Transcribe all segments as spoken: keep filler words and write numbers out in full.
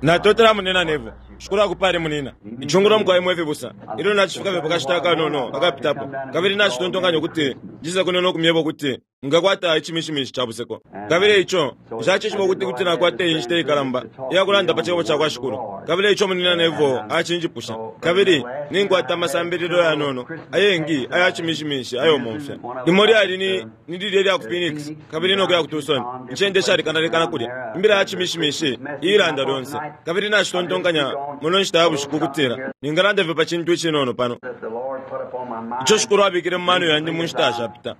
Natotela munina Neville. Shukuru akupale munina. Ichungura mukwaye mwe fibusa. Ilyo nachifika fye pakashita akanono akapitapo. Kabili nachitontonkanya kuti njiza kuno nokumyeba kuti ngakwata ichimishimishi cha buseko. Kabili icho nshachishiba ukuti kuti nakwata iyi nshita ikalamba iyakulanda pa cebo cakwa Shukuru. Kabili icho munina Neville achinjipusha. Kabili ninkwata amasambililo yanono ayengi aya chimishimishi ayo momfya. Limo lyali ni ni lilye lya ku Phoenix kabili nokuya ku Tucson. Incende shalekanalekana kulya. Imbila ya chimishimishi iilanda lyonse. Kabili nachitontonkanya muno nshita ya bushiku kutila ningalanda fye pa chintu icinono pano. Icho Shukuru abikile mu mano yandi mu nshita ashapita.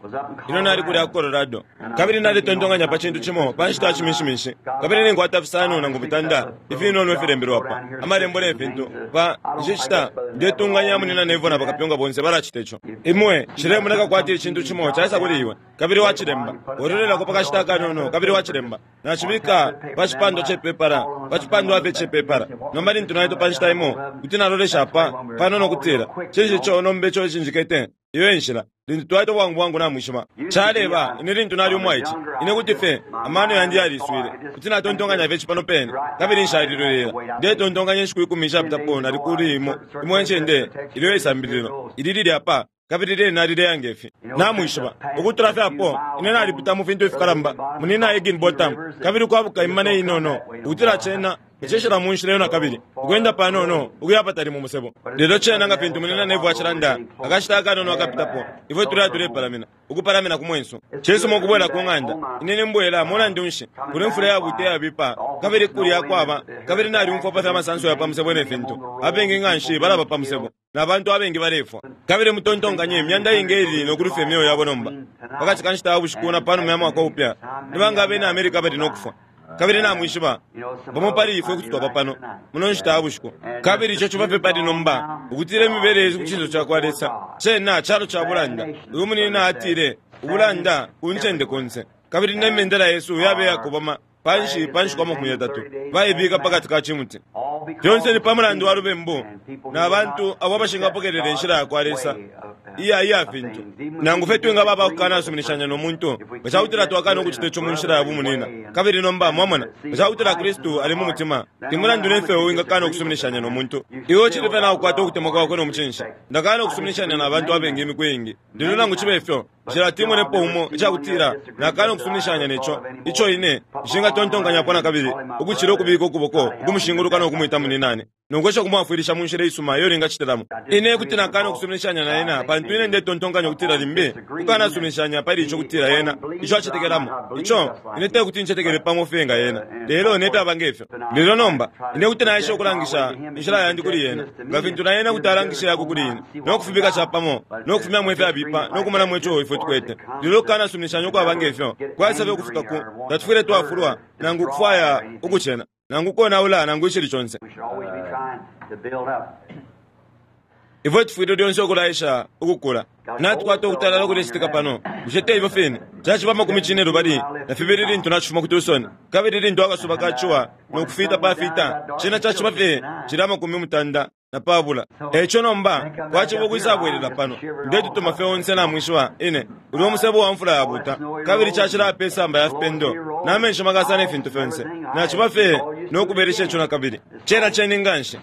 Ino nali kulya ku Colorado. Kabili nalitontonkanya pa chintu chimo pa nshita ya chimishimishi. Kabili ninkwata fisano nangu mutanda ifinono ifilembelwa pa amalembo ne fintu pa nshita ndetunganya munina Neville na bakapyunga bonse balachita icho. Imwe chilemoneka kwati ichintu chimo chaisa kuli iwe. Kabili wachilemba. Orolelako pakashita kanono kabili wachilemba. Nachibika pa chipando chepepara, pa chipando ape chepepara. Nomba lintu naito pa nshita imo kuti nalolesha pa panono kutila chinshi cho nombe cho chinjikete iyo enshila lintu twaito bwangu bwangu namwishima chaleba ine lintu nali umwaichi ine kuti fe amano yandi yaliswile kuti natontonkanya fye chipano pene kabili nshalilolera ndetontonkanya nshiku ikumi nshapitapo nali kuli imo imwe ncende ilyo isambililo ili lili apa kabili lyena lileyange ifi namwishiba ukutula fye apo ine nalipita mu fintu ifikalamba munina Higginbotham kabili kwabuka imane inono ukutila chena echeshela mu nshila yona kabili ukwenda panono ukuya patali mu musebo. Lelo chena nga fintu munina Neville achilanda akashita akanono akapitapo ifwe tuleya tulepalamina ukupalamina ku mwenso chisuma ukubwela ku ng'anda ine nimbwela mulandu nshi kuli mfula yabuta yabipa kabili kulya kwaba kabili naliumfwa pa fya masanso ya pa musebo ne fintu abengi nga nshi balaba pa musebo na bantu abengi balefwa kabili mutontonkanye imyanda ingi ili nokulufya emyoyo yabo nomba pakati ka nshita ya bushiku na panuma ya mwaka upya nibanga abena Amerika bali nokufwa. Kabili namwishiba bamo pali ifwe kuti twaba pano muno nshita ya bushiku kabili icho chiba fye pali nomba ukutila imibele ku chinso cakwa Lesa chena chalo cha bulanda. Uyu munina atile ubulanda ku ncende konse kabili nemendela yesu yabe yakobama panshi panshi kwa makumi yatatu baibika pakati ka chimuti. Fyonse ni pamulandu wa lubembu na bantu abo abashingapokelela inshila yakwa Lesa iya iya fintu nangu fye twingaba abakukanasuminishanya no muntu bachakutila twakana ukuchita icho mu nshila ya bumunina. Kabili nomba mwamona bachakutila Kristu ali mu mutima timulandu nefe wingakana okusuminishanya no muntu iwe chili fye nakukwata ukutemwa kwakwe no muchinshi. Ndakana okusuminishanya na bantu abengi imiku iingi lelo nangu chibe ifyo nshila timonepo umo ichakutila nakana okusuminishanya necho icho ine nshingatontonkanyapo na kabili ukuchila ukubika ukuboko ukumushinguluka nokumwita muninane nongwesha kumwafwilisha mu nshila isuma iyo lingachitilamo. Ine kuti nakana okusuminishanya na yena pantu ine ndetontonkanya okutila limbi kukanasuminishanya pali icho kutila yena icho achetekelamo icho ine tekuti nchetekele pamo fye nga yena lelo nepyaba ngefyo. Lelo nomba ine kuti naesha okulangisha inshila yandi kuli yena nga fintu na yena kuti alangisha yako kuli ine nokufubika chapamo nokufumyamo ifyabipa nokumonamo icho ifwe tukwete. Lelo kukanasuminishanya okwaba ngefyo kwaisafye ukufika ku tatufwile twafulwa nangu kufwaya ukuchena nangu konaula nangu ichili chonse. Ifwe tufwile lyonse okulaisha ukukula natukwata okutalala okulechitika pano bushe ifyo fine chachiba makumi chine lubali na fibili lintu nachifuma ku Tucson kabili lintu akasuba kachiwa nokufita pafita chena chachiba fye chili amakumi mutanda na pabula. Echo nomba kwachiba okwisabwelela pano ndetutuma fye onse namwishiwa ine uli omusebo wa mfula yabuta kabili chachila apa esamba ya fipendo namenshi makasa ne fintu fyonse nachiba fye nokuberesha echo na kabili chena chene nganshi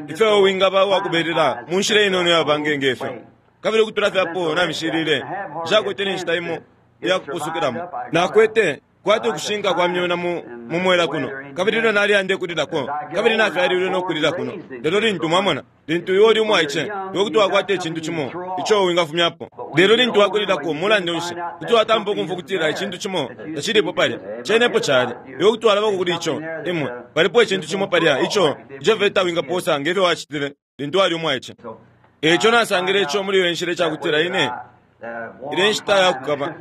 ife wingaba wakubelela mu nshila inono yabangenge ifyo kabili okutula fye apo namishilile nshakwete nenshita imo iyakupusukilamo nakwete kwati okushinka kwa myona mu mumwela kuno kabili lino naliyande kulilako kabili nafyalilwe nokulila kuno. Lelo lintu mwamona lintu iwe uli umwaiche iwe kuti wakwata ichintu chimo icho wingafumyapo. Lelo lintu wakulilako mulandu nshi kuti watampa okumfwa okutila ichintu chimo tachilipo palya chenepo chali iwe kuti walabako kuli icho imwe palipo ichintu chimo palya icho icho fye tawingaposa ngefyo wachitile lintu wali umwaiche. Echo nasangile icho muli iyo nshila ichakutila ine ile nshita yakukaba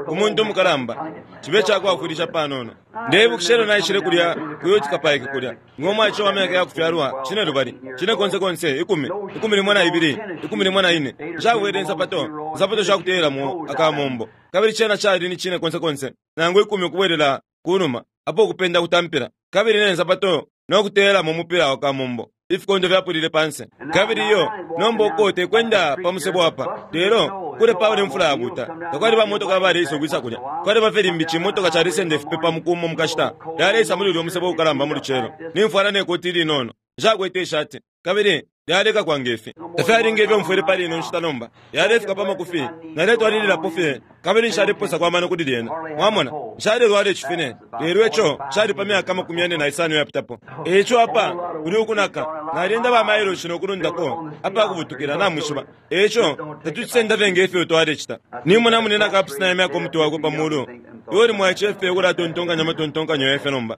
umuntu umukalamba chibe chakwafwilisha panono. Ndebukisha elyo naishile kulya kuyutika paike kulya ng'omwaiche wa myaka yakufyalwa chine lubali chine konse konse ikumi ikumi limo na ibili ikumi limo na ine nshabwele nsapato nsapato shakuteyelamo akamombo kabili chena chali ni chine konse konse nangu ikumi ukubwelela kunuma apo okupenda kutampila kabili ne nsapato nokuteyelamo umupila wa kamombo Ifikondo fyapulile panse. Kabili iyo nomba uko tekwenda pa musebo apa, lelo kule paule mfula yabuta. Takwali bamotoka baleisa ukwisa kulya. Kwali bafye limbi cimotoka calisenda ifipe pa mukumo mukashita. Lyaleisa muli ulya umusebo ukalamba mu lucelo. Nimfwala ne koti ilinono. Nshakwete ishati. Kabili lyaleka kwange ifi. Tafyalinga ifyo mfwele pali ino nshita nomba. Yalefika pa makufi. Naletwalililapo fye. Kabili nshaliposa kwa mano kuli lyena. Mwamona, nshalelwala icifine. Lelo ico cali pa myaka makumi yane na isano yapitapo. Eico apa kuli ukunaka. Nalyenda ba mailoshi nokulundako apa kubutukila namwishiba. Eico tatucisenda fye ngefyo twalecita. Nimona munena kapusina imyaka umutwe wakwe pa mulu. Iwe uli mwaice fye ukulatontonkanya amatontonkanyo yefe nomba.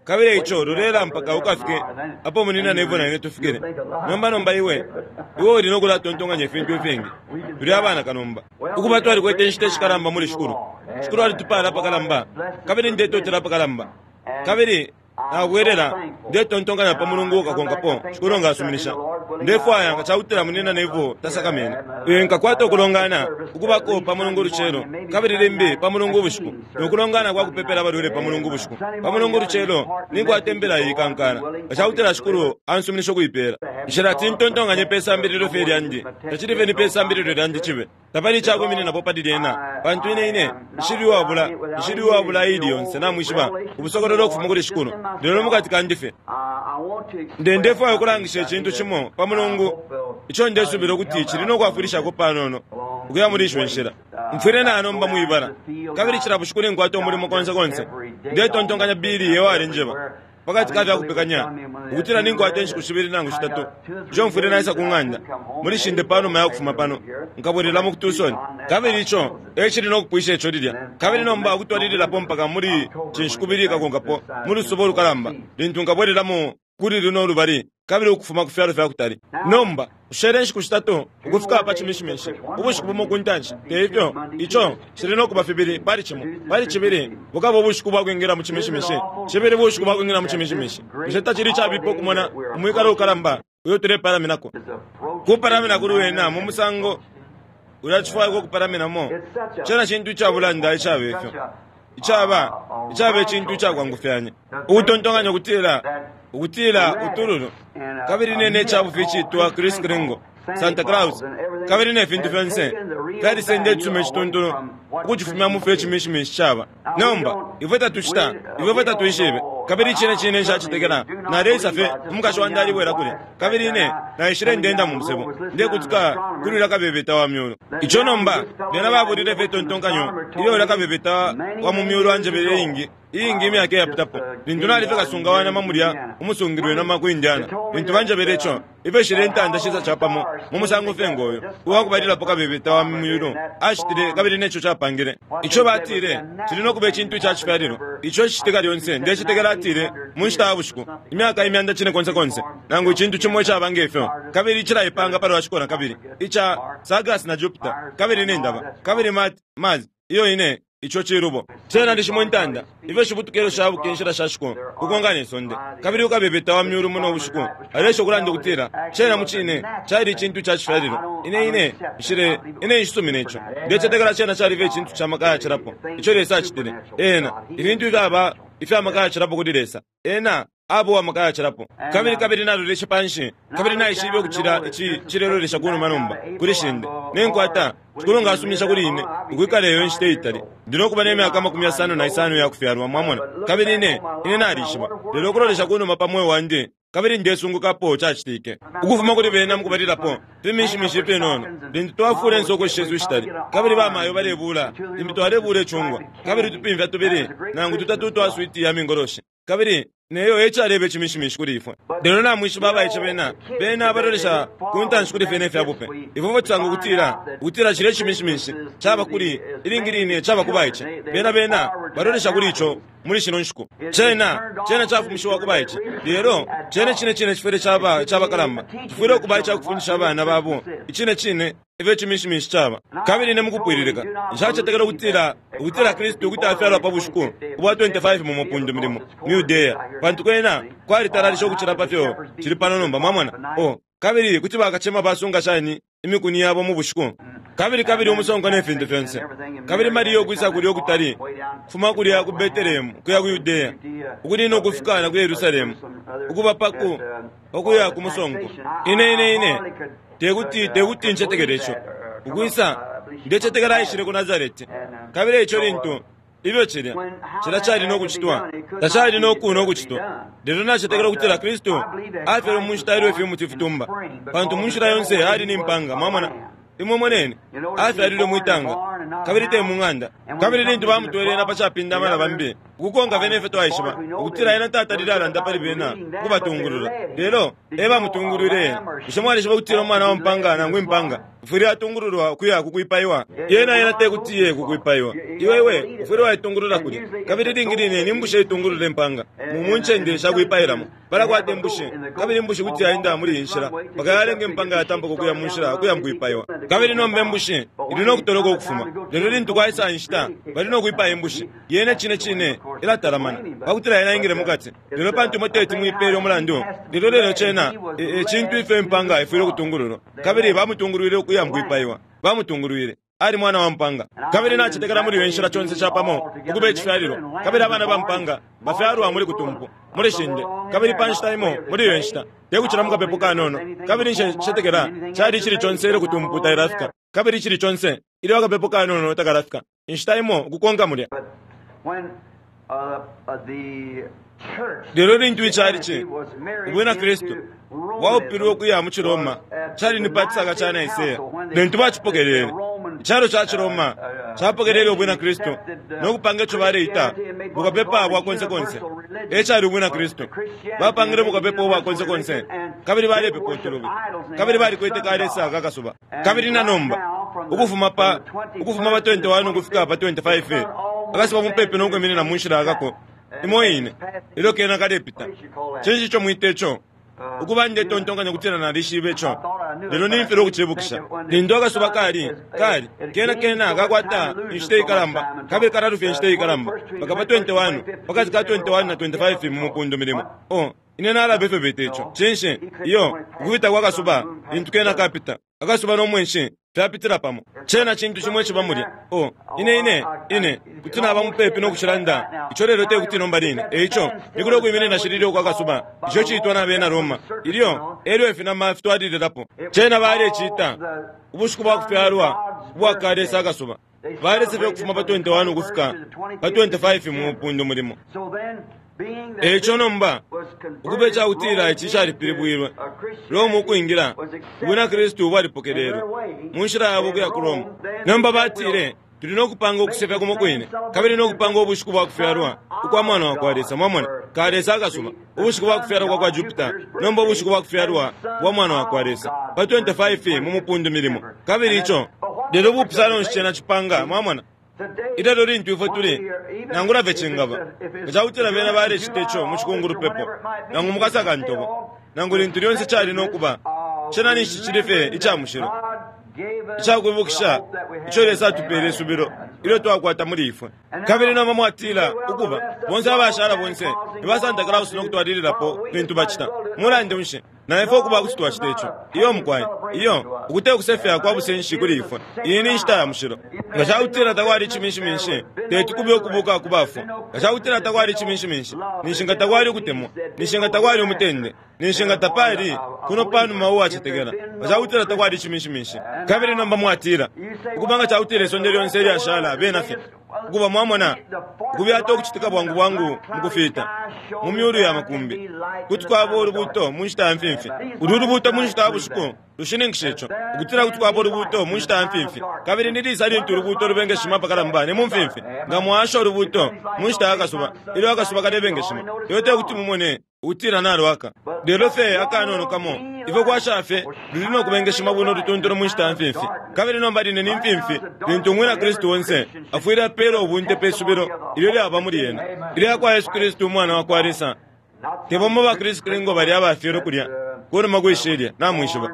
Kabili ico lulela mpaka ukafike apo munina nevo na ine tufikile. Nomba nomba iwe iwe uli nokulatontonkanya ifintu ifingi. Tuli abana kanomba. Ukuba twalikwete inshita ishikalamba muli shikulu. Shikulu alitupala apakalamba. Kabili ndetotela apakalamba. Kabili nabwelela ndetontonkanya pa mulungu ukakonkapo. Shikulu ngasuminisha. Ndefwaya nga cakutila munina nevo tasakamene. Ee nkakwata ukulongana ukubako pa mulungu ulucelo. Kabili limbi pa mulungu ubushiku. Nokulongana kwa kupepela abalwele pa mulungu ubushiku. Pa mulungu ulucelo ninkwata imbila iyikankala. Nga cakutila shikulu ansuminisha ukuipela. Nshilati ntontonkanye pe sambililo fye lyandi. Tacili fye ni pe sambililo lyandi cibe. Tapali icakwimininapo pali lyena. Pantu ine ine nshili uwabula, nshili uwabula ili yonse namwishiba. Ubusokololo ukufuma kuli shikulu. Lelo mukati kandi fye. Nde ndefwaya ukulangisha icintu cimo pa mulungu ico ndesubila ukuti cili nokwafwilishako panono ukuya muli isho nshila. Mfwile nanomba mwibala. Kabili cila bushiku ninkwata umulimo konse konse. Ndetontonkanya Bili ewalenjeba. Pakati ka fyakupekanya ukutila ninkwata inshiku shibili nangu shitatu ico mfwile naisa ku ng'anda muli shinde panuma ya kufuma pano nkabwelelamo ku Tucson. Kabili ico ecili nokupwisha ico lilya. Kabili nomba ukutwalililapo mpaka muli cinshiku bili ikakonkapo mu lusuba ulukalamba lintu nkabwelelamo kuli luno lubali kabili ukufuma ku fyalo fyakutali. Nomba ushele inshiku shitatu ukufika pa cimishimishi ubushiku bumo ku ntanshi. Teifyo ico cili nokuba fibili pali cimo pali cibili bukaba ubushiku bwakwingila mu cimishimishi cibili bushiku bwakwingila mu cimishimishi. Bushe tacili cabipa ukumona umwikalo ukalamba uyo tulepalaminako? Kupalamina kuli wena mu musango ulacifwaya ukupalaminamo. Cena cintu icabulanda icaba ifyo. Icaba icaba icintu icakwangufyanya. Ukutontonkanya ukutila ukutila utululu kabili nene icabufi icitwa Chris Kringle, Santa Claus, kabili ne fintu fyonse fyalisenda icuma icituntulu ukucifumya mu fyo icimishimishi caba. Nomba ifwe tatucita, ifwe tatwishibe. Kabili icine cine nshacitekela. Naleisa fye umukashi wandi alibwela kulya. Kabili ine naishile ndenda mu musebo ndekutika kuli ulya kabebeta wa myulu. Ico nomba bena babulile fye itontonkanyo ilyo ulya kabebeta wa mu myulu anjebele iingi iingi imyaka iyapitapo. Lintu nalife kasunga wa nama mulya umusungilwe nama ku Indiana. Lintu banjebele ico ifyo shile intanda shisa capamo mu musango fye ngoyo uwakubalilapo kabebeta wa myulu ashitile kabili neco capangile. Ico batile cili nokuba icintu icacifyalilo. Ico icitika lyonse ndecitekela atile mu nshita ya bushiku imyaka imyanda cine konse konse nangu icintu cimo icaba ngefyo. Kabili cilaipanga palwa ciko na kabili ica Sagas na Jupiter kabili nendaba kabili Mars iyo ine ico cilubo. Cena lishimo intanda ifyo shibutukelo shabuka inshila sha shiko ukongana isonde. Kabili ukabebeta wa myulu muno ubushiku alesha ukulanda ukutila cena mucine cali icintu cacifyalilo. Ine ine nshile ine nshisumina ico. Ndecetekela cena calife icintu ca maka yacilapo ico Lesa acitile. Ena ifintu ifyaba ifya maka yacilapo kuli Lesa. Ena abo wa maka yacilapo. Kabili kabili nalolesha panshi kabili naishibe ukucila ici cilelolesha kunuma nomba kuli shinde. Nenkwata shikulu ngasuminisha kuli ine ukwikala iyo nshita itali. Ndi nokuba ne myaka makumi yasano na isano yakufyalwa mwamona. Kabili ine ine nalishiba. Lelo ukulolesha kunuma pa mweo wandi kabili ndesungukapo cacitike. Ukufuma kuli bena mukubalilapo fimishimishi ifinono lintu twafula insoko shesu ishitali. Kabili bamayo balebula limbi twalebula icungwa kabili tupimfya tubili nangu tutatu twa switi ya mingoloshi. Kabili neyo ecaleba icimishimishi kuli ifwe. Lelo namwishiba abaice bena bena abalolesha ku ntanshi kuli fye ifyabupe. Ifwe tusanga ukutila ukutila cile icimishimishi caba kuli ilingi line caba ku baice. Bena bena balolesha kuli ico muli shino nshiku. Cena cena cafumishiwa ku baice. Lelo cene cine cine cifwile caba cabakalamba. Cifwile ukuba icakufundisha abana babo icine cine ifyo icimishimishi caba. Kabili ne mukupwililika nshacetekela ukutila ukutila Kristu ukuti afyalwa pa bushiku ubwa twenty-five mu mupundu milimo mu Yudea. Pantu kwena kwalitalalisha ukucila pa fyo cili pano nomba mwamona. Oh, Kabili kuti bakacema basunga shani imikuni yabo mu bushiku? Kabili kabili umusonko ne fintu fyonse. Kabili Mariya ukwisa kulya ukutali, kufuma kulya ku Betelehemu kuya ku Yudea, ukunina ukufika na ku Yerusalemu, ukuba paku pakuya ku musonko. Ine ine ine tekuti tekuti ncetekele ico. Ukwisa ndecetekela aishile ku Nazareti. Kabili ico lintu ibyo cilya cila cali no kucitwa, tacali no kuno kucitwa. Lelo nacetekela ukutila Kristu afyelwe mu nshita ilyo ifimuti fitumba, pantu mu nshila yonse ali ni mpanga. Mwamona, imwe moneni, afyalilwe mwitanga kabili te mu ng'anda. Kabili lintu bamutwele ena pa capindama na bambi, ukukonka bene ifyo twaishiba ukutila ena tatalile alanda pali bena ukubatungulula, lelo e bamutungulwile ena. Bushe mwalishiba ukutila umwana wa mpanga nangu impanga ufwile atungululwa ukuya kukwipaiwa? Yena yena tekuti iye kukwipaiwa. Iwe iwe ufwile waitungulula kulya. Kabili lingi line ni mbushi itungulula impanga mu ncende shakwipailamo. Balakwata imbushi, kabili imbushi kuti yaenda muli iyi nshila mpaka yalenga impanga yatampuka ukuya mu nshila ukuya mukwipaiwa. Kabili nomba imbushi ili no kutoloka ukufuma, lelo lintu kwaisa inshita bali no kwipaya imbushi. Yene cine cine ilatalamana pakutila yena ingile mukati. Lelo pantu imwe teti muipele umulandu, lelo lelo cena e cintu ifyo impanga ifwile ukutungululwa. Kabili bamutungulwile ukuya mukwipaiwa, bamutungulwile. Ali mwana wa mpanga. Kabili nacetekela muli iyo nshila conse capamo ukuba icifyalilo. Kabili abana ba mpanga bafyalwa muli kutumpu, muli shinde, kabili pa nshita imo muli iyo nshita tekucila mukapepo kanono. Kabili ncetekela cali icili conse ilyo kutumpu tailafika, kabili icili conse ilyo akapepo kanono takalafika, inshita imo ukukonka mulya. Lelo lintu icalici ubwina Kristu bwaupilwe ukuya mu Ciroma, cali ni pa cisaka ca Nicaea lintu bacipokelele. Icalo ca Ciroma capokelele ubwina Kristu no kupanga ico baleita bukapepa bwa konse konse. E cali ubwina Kristu. Bapangile bukapepa ubwa konse konse, kabili balepepa utulubi, kabili balikwete kalesa kakasuba. Kabili na nomba ukufuma pa ukufuma pa twenty-one ukufika pa twenty-five, akasuba mupepi no kwiminina mu nshila akako imo ine ilyo kena kalepita. Cinshi ico mwita ico? Ukuba ndetontonkanya ukutila nalishibe ico, lelo nimfilwa ukucibukisha. Lintu akasuba kali kali kena kena kakwata inshita ikalamba, kabili kalalufya inshita ikalamba mpaka pa twenty-one, pakati ka twenty-one na twenty-five mu mupundu milimo. Oh, ine nalaba ifyo beta ico. Cinshi? Iyo ukupita kwa kasuba, lintu kena kapita, akasuba no mwenshi fyapitila pamo, cena cintu cimo iciba mulya. Oh, ine ine ine kuti naba mupepi no kucilanda ico, lelo tekuti nomba line. Eico nikuli ukwiminina shilili ukwa kasuba, ico ciitwa na bena Roma, ilyo elyo ifinama fitwalililapo. Cena balecita ubushiku bwa kufyalwa ubwa kalesa akasuba, balesefya ukufuma pa twenty-one ukufika pa twenty-five mu mupundu mulimo. Eico nomba ukuba icakutila ici calipilibwilwe Roma ukwingila, ubwina Kristu bwalipokelelwe mu nshila yabo ukuya ku Roma. Nomba batile, tuli no kupanga ukusefya kumo kwine, kabili no kupanga ubushiku bwa kufyalwa ukwa mwana wa kwa Lesa. Mwamona, kalesa akasuba, ubushiku bwa kufyalwa kwa kwa Jupiter, nomba ubushiku bwa kufyalwa bwa mwana wa kwa Lesa pa twenty-five mu mupundu milimo. Kabili ico lelo bupusano nshi cena cipanga? Mwamona, ilelo lintu ifwe tuli nangula fye cingaba nga cakutila bena balecita ico mu cikungulupepo nangu mukasaka ntobo nangu lintu lyonse cali no kuba, cena ninshi cili fye ica mushilo icakwibukisha ico Lesa atupele isubilo ilyo twakwata muli ifwe. Kabili nomba mwatila, ukuba bonse abashala bonse ni ba Santa Claus no kutwalililapo fintu bacita, mulandu nshi na ifwe ukuba kuti twacita ico? Iyo mukwai, iyo ukute kusefya kwa busenshi kuli ifwe. Iyi ni nshita ya mushilo. Nga cakutila takwali iciminshiminshi, teti kube ukubuka ku bafwa. Nga cakutila takwali iciminshiminshi, ninshi nga takwali ukutemwa, ninshi nga takwali umutende, ninshi nga tapali kuno panuma uwacetekela, nga cakutila takwali iciminshiminshi. Kabili nomba mwatila, ukuba nga cakutila isonde lyonse ilyashala bena fye ukuba, mwamona, ukubyata ukucitika bwangu bwangu mukufita mu myulu ya makumbi, kuti kwaba ulubuto mu nshita ya mfimfi. Ulu lubuto mu nshita ya bushiku lushininkisha ico, ukutila kuti kwaba ulubuto mu nshita ya mfimfi. Kabili ni lisa lintu ulubuto lubengeshima apakalamba? Ni mu mfimfi. Nga mwasha ulubuto mu nshita ya kasuba, ilyo akasuba kalebengeshima, ilyo tekuti mumone ukutila nalwaka, lelo fye akanono kamo ifyo kwasha fye luli no kubengeshima bwino lutuntulu mu nshita ya mfimfi. Kabili nomba line ni mfimfi lintu umwina Kristu onse afwile apeela ubunte pe subilo ilyo lyaba muli yena, ilya kwa Yesu Kristu umwana wa kwa Lesa. Tebomo ba Kristu ngo bali abafyelwe kulya Kunuma kwishilya namwishiba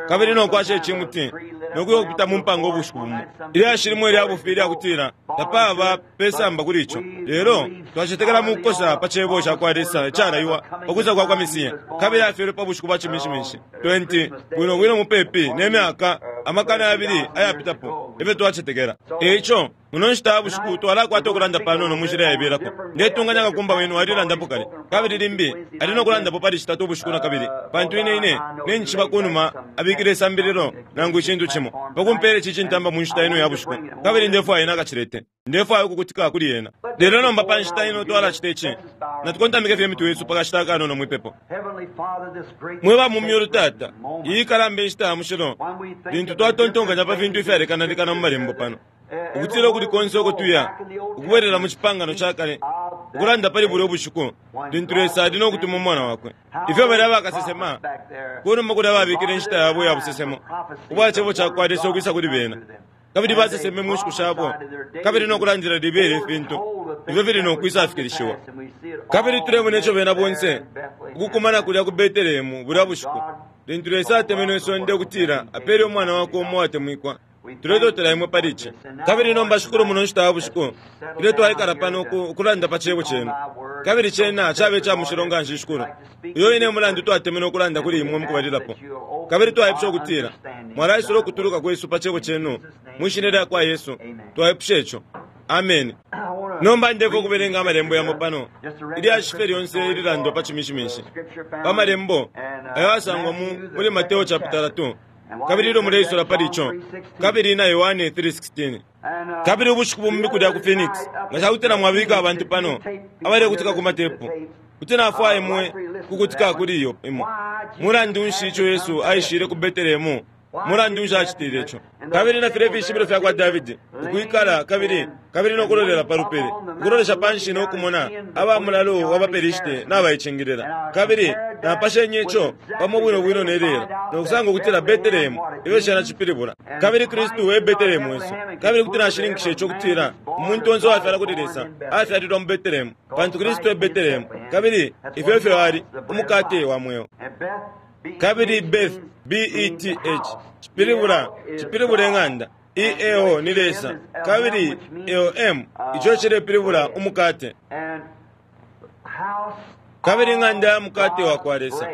kabili nokwasha icimuti nokuya kupita mu mpanga ubushiku bumo ilyashi limwe lyabufi lyakutila tapaba pesamba kuli ico lelo twacetekela mu kukosa pa cebo cakwa Lesa icalaiwa pakwisa kwa kwa Mesiya kabili afyelwe pa bushiku bwa Ciminshiminshi twenty bwino bwino mupepi ne myaka amakana yabili ayapitapo efyo twacetekela. Eico muno nshita ya bushiku twalakwata ukulanda panono mu nshila yaibelako. Ndetunganya kakumba wenu alilandapo kale kabili limbi ali nokulandapo pali citatu ubushiku na kabili pantu ine ine nencishiba kunuma abikile isambililo nangu icintu cimo pakumpela ici cintamba mu nshita ino ya bushiku kabili ndefwaya ena akacilete ndefwaya ukukutika kuli ena. Lelo nomba pa nshita ino twalacita ici natukontamike fye imitwe yesu pakashita akanono mwipepo. Mwe mu myulu Tata, iyi ikalamba inshita ya mushilo lintu twatontonkanya pa fintu ifyalekanalekana mu malembo pano ukutila ukuli konse uko tuya ukubwerera mu cipangano ca kale ukulanda pali bulya ubushiku lintu Lesa ali nokutuma umwana wakwe. Ifyo balya bakasesema kunuma kulya babikile inshita yabo ya busesemo ubwa cebo cakwa Lesa ukwisa kuli bena kabili baseseme mu nshiku shabo kabili nokulandila libele ifintu ifyo fili nokwisa afikilishiwa. Kabili tulemona ico bena bonse ukukumana kulya ku Betelehemu bulya bushiku lintu Lesa atemenwe isonde ukutila apele umwana wakwe umo uwatemwikwa. Tuletotela imwe pali ici. Kabili nomba shukulu muno nshita ya bushiku ilyo twaikala pano ukulanda pa cebo cenu kabili cena cabe ca mushilo nga nshi shukulu uyo ine mulandu twatemenwe ukulanda kuli imwe mukubalilapo kabili twaipusha ukutila mwalaisula ukutuluka kwesu pa cebo cenu mwishina lya kwa Yesu twaipusha ico. Amen. Nomba ndefo kubelenga amalembo yamo pano ilyashi fye lyonse ililandwa pa Ciminshiminshi pa malembo ayo asangwa muli Mateo chapter two kabili ilyo muleisula pali ico kabili na Yohane three sixteen. Kabili ubushiku bumbi kulya ku Phoenix nga cakutila mwabika abantu pano abalekutika ku matepu kuti nafwaya imwe kukutika kuli iyo imo. Mulandu nshi ico Yesu aishile ku Betelehemu? Mulandu nshi acitile ico? Kabili na filya ifishibilo fya kwa Davidi ukwikala kabili kabili nokulolela pa lupili ukulolesha panshi nokumona aba mulalo wa baPelishite nabaicingilila kabili napashenye ico pamo bwino bwino ne lelo nokusanga ukutila Betelehemu ifyo cena cipilibula kabili Kristu e Betelehemu wesu kabili kuti nashininkisha ico kutila umuntu onse uwafyala kuli Lesa afyalilwa mu Betelehemu pantu Kristu e Betelehemu kabili ifyo ifyo ali umukate wa mweo. Kabili Beth B E T H cipilibula cipilibula ing'anda E A O ni Lesa kabili E O M ico cilepilibula umukate kabili ing'anda ya mukate wa kwa Lesa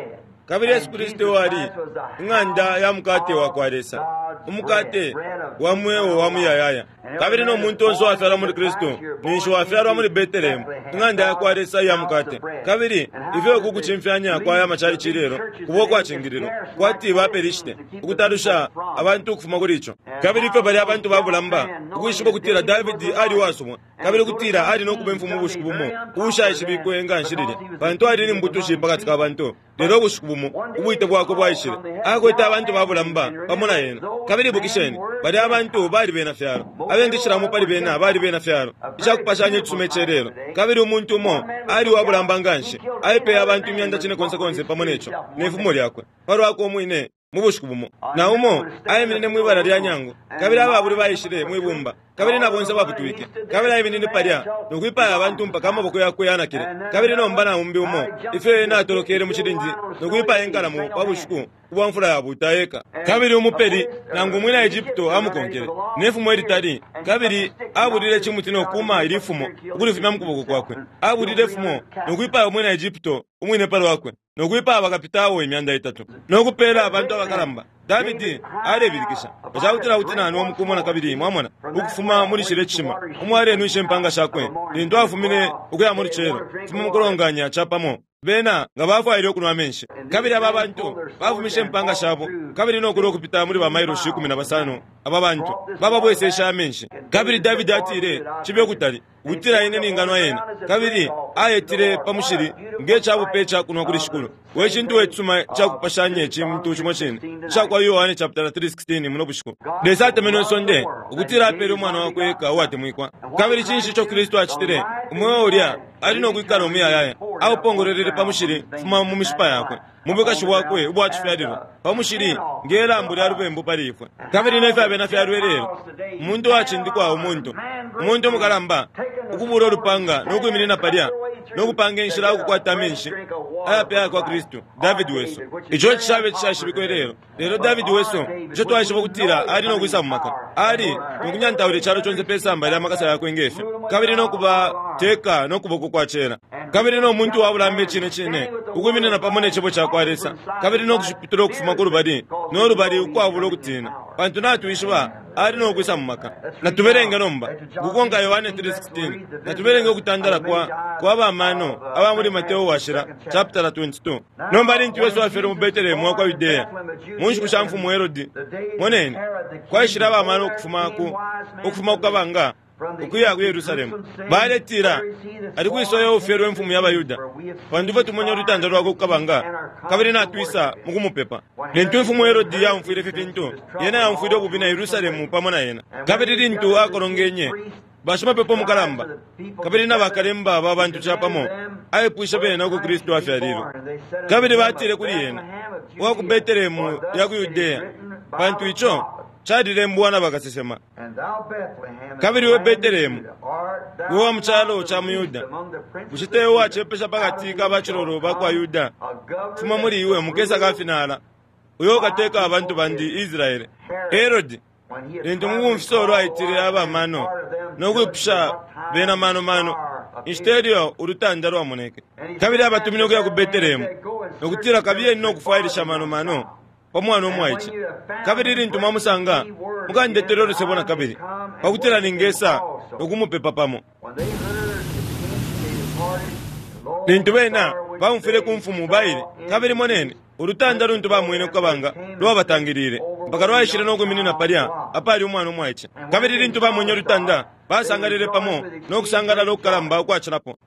kabili Yesu Kristu ali ing'anda ya mukate wa kwa Lesa umukate wa mweo wa muyayaya kabili no muntu onse uwafyalwa muli Kristu ninshi wafyalwa muli Betelehemu ing'anda ya kwa Lesa iya mukate. Kabili ifyo kukucimfyanya kwa aya machalichi lelo kuba ukwacingililwa kwati baPelishite ukutalusha abantu ukufuma kuli ico. Kabili ifyo bali abantu babulamba ukwishiba ukutila Davidi ali uwasumwa kabili ukutila ali nokuba imfumu ubushiku bumo ubushaishibikwe nga nshi lilya pantu ali ni mbutushi pakati ka bantu. Lelo ubushiku bumo ubwite bwakwe bwaishile akwete abantu babulamba pamo na ena. Kabili ibukisheni bali abantu bali bena fyalo abengishilamo pali bena bali bena fyalo icakupashanya icisuma icelelo kabili umuntu umo ali uwabulamba nga nshi aipeye abantu imyanda cine konse konse pamo neco nefumo lyakwe palwakwe umwine mu bushiku bumo. Na umo aiminine mwibala lya nyango kabili ababuli baishile mwibumba kabili na bonse baputwike kabili aiminine palya nokwipaya abantu mpaka amaboko yakwe yanakile. Kabili nomba na umbi umo ifyo ena atolokele mu cilindi nokwipaya inkalamo pa bushiku ubwa mfula yabuta eka. Kabili umupeli nangu umwina Egypto amukonkele nefumo ilitali kabili abulile cimuti nokuma ili fumo ukulifumya mu kuboko kwakwe abulile fumo nokwipaya umwina Egypto umwine palwakwe nokwipaya bakapitawo imyanda itatu nokupela abantu abakalamba. Davidi alebilikisha pacakutila kuti nani omukumona kabili mwamona ukufuma muli cile cishima umo alenwisha impanga shakwe lintu afumine ukuya mu lucelo fuma mukulonganya capamo bena nga bafwaile ukunwa amenshi. Kabili aba bantu bafumishe impanga shabo kabili nokula ukupita muli bamailoshi ikumi na basano aba bantu bababwesesha amenshi. Kabili Davidi atile cibe ukutali ukutila ine ninganwa yena kabili ayetile pa mushili nge cabupe icakunwa kuli shikulu. We cintu wecisuma icakupashanya icintu cimo cine icakwa Yohane chapter three sixteen muno bushiku. Lesa atemenwe isonde ukutila apele umwana wakwe eka uwatemwikwa. Kabili cinshi ico Kristu acitile? Umweo ulya ali nokwikala umuyayaya aupongololele pa mushili fuma mu mishipa yakwe mu bwikashi bwakwe ubwa cifyalilwa pa mushili nge lambo lya lubembu pali ifwe. Kabili nefyo abena fyalwe lelo, umuntu uwacindikwa, umuntu umuntu umukalamba, ukubula ulupanga no kwiminina palya no kupanga inshila ukukwata amenshi ayapya kwa Kristu, Davidi wesu. Ico cishabe cishashibikwe lelo, lelo Davidi wesu, ico twaishiba ukutila ali no kwisa mu maka, ali nokunyantaula icalo conse pe samba lya makasa yakwe ngefyo, kabili no kubateka no kuboko kwa cela, kabili no muntu wabulamba icine cine ukwiminina pamo ne cebo ca kwa Lesa, kabili no kushiputula ukufuma ku lubali no lubali ukwabula ukutina, pantu natwishiba ali no kwisa mu maka. Natuberenge nomba kukonka Yohane three sixteen. Natuberenge ukutandala kwa kwa bamano aba muri Mateo washira chapter twenty-two. Nomba lintu Yesu afere mu Betelehemu wa kwa Yudea mu nshiku sha mfumu Herodi, moneni kwaishira abamano ukufuma ku ukufuma ku kabanga ukuya ku Yerusalemu. Baletira ali kwisoya ufyelwe mfumu ya Bayuda, pantu fwe tumonye ulutanda lwakwe ku kabanga, kabili natwisa mukumupepa. Lintu imfumu Herodi yaumfwile ifi fintu, yena yaumfwile ububi na Yerusalemu pamo na yena. Kabili lintu akolongenye bashimapepo mukalamba kabili na bakalemba ba bantu capamo, aipwishe bena uko Kristu afyalilwe. Kabili batile kuli yena, uwa ku Betelehemu ya ku Yudea, pantu ico calilembwa na bakasesema. Kabili we Betelehemu, we wa mu calo ca mu Yuda, bushe tewe wacepesha pakati ka bacilolo ba kwa Yuda? Fuma muli iwe mukesa kafinala, uyo ukateka abantu bandi Israele. Herodi lintu mubumfisolo aitile abamano no kwipusha bena mano mano inshita ilyo ulutanda lwamoneke. Kabili abatumine ukuya ku Betelehemu nokutila, kabiyeni no kufwailisha mano mano pa mwana umwaice, kabili lintu mwamusanga mukandetele ulusebo na kabili, pakutila ningesa nokumupepa pamo. Lintu bena baumfwile ku mfumu baile, kabili moneni ulutanda luntu bamwene kukabanga lwabatangilile mpaka lwaishile no kwiminina palya apali umwana umwaice. Kabili lintu bamwenye ulutanda basangalile pamo no kusangalala ukukalamba ukwacilapo.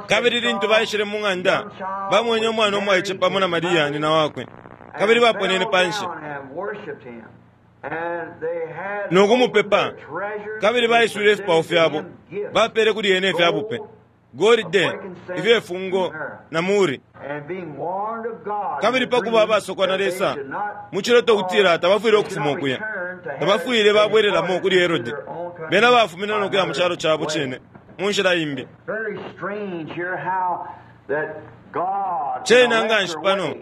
Kabili lintu baishile mu ng'anda bamwenye umwana umwaice pamo na Mariya nina wakwe, kabili baponene panshi nokumupepa. Kabili baiswile ifipao fyabo, bapele kuli yene ifyabupe, golide, ifyefungo na muri. Kabili pakuba abasokwa na Lesa mu ciloto kutila tabafwile ukufuma ukuya, tabafwile babwelelamo kuli Herodi, bena bafumine nokuya mu calo cabo cine mu nshila imbi. Cena nganshi pano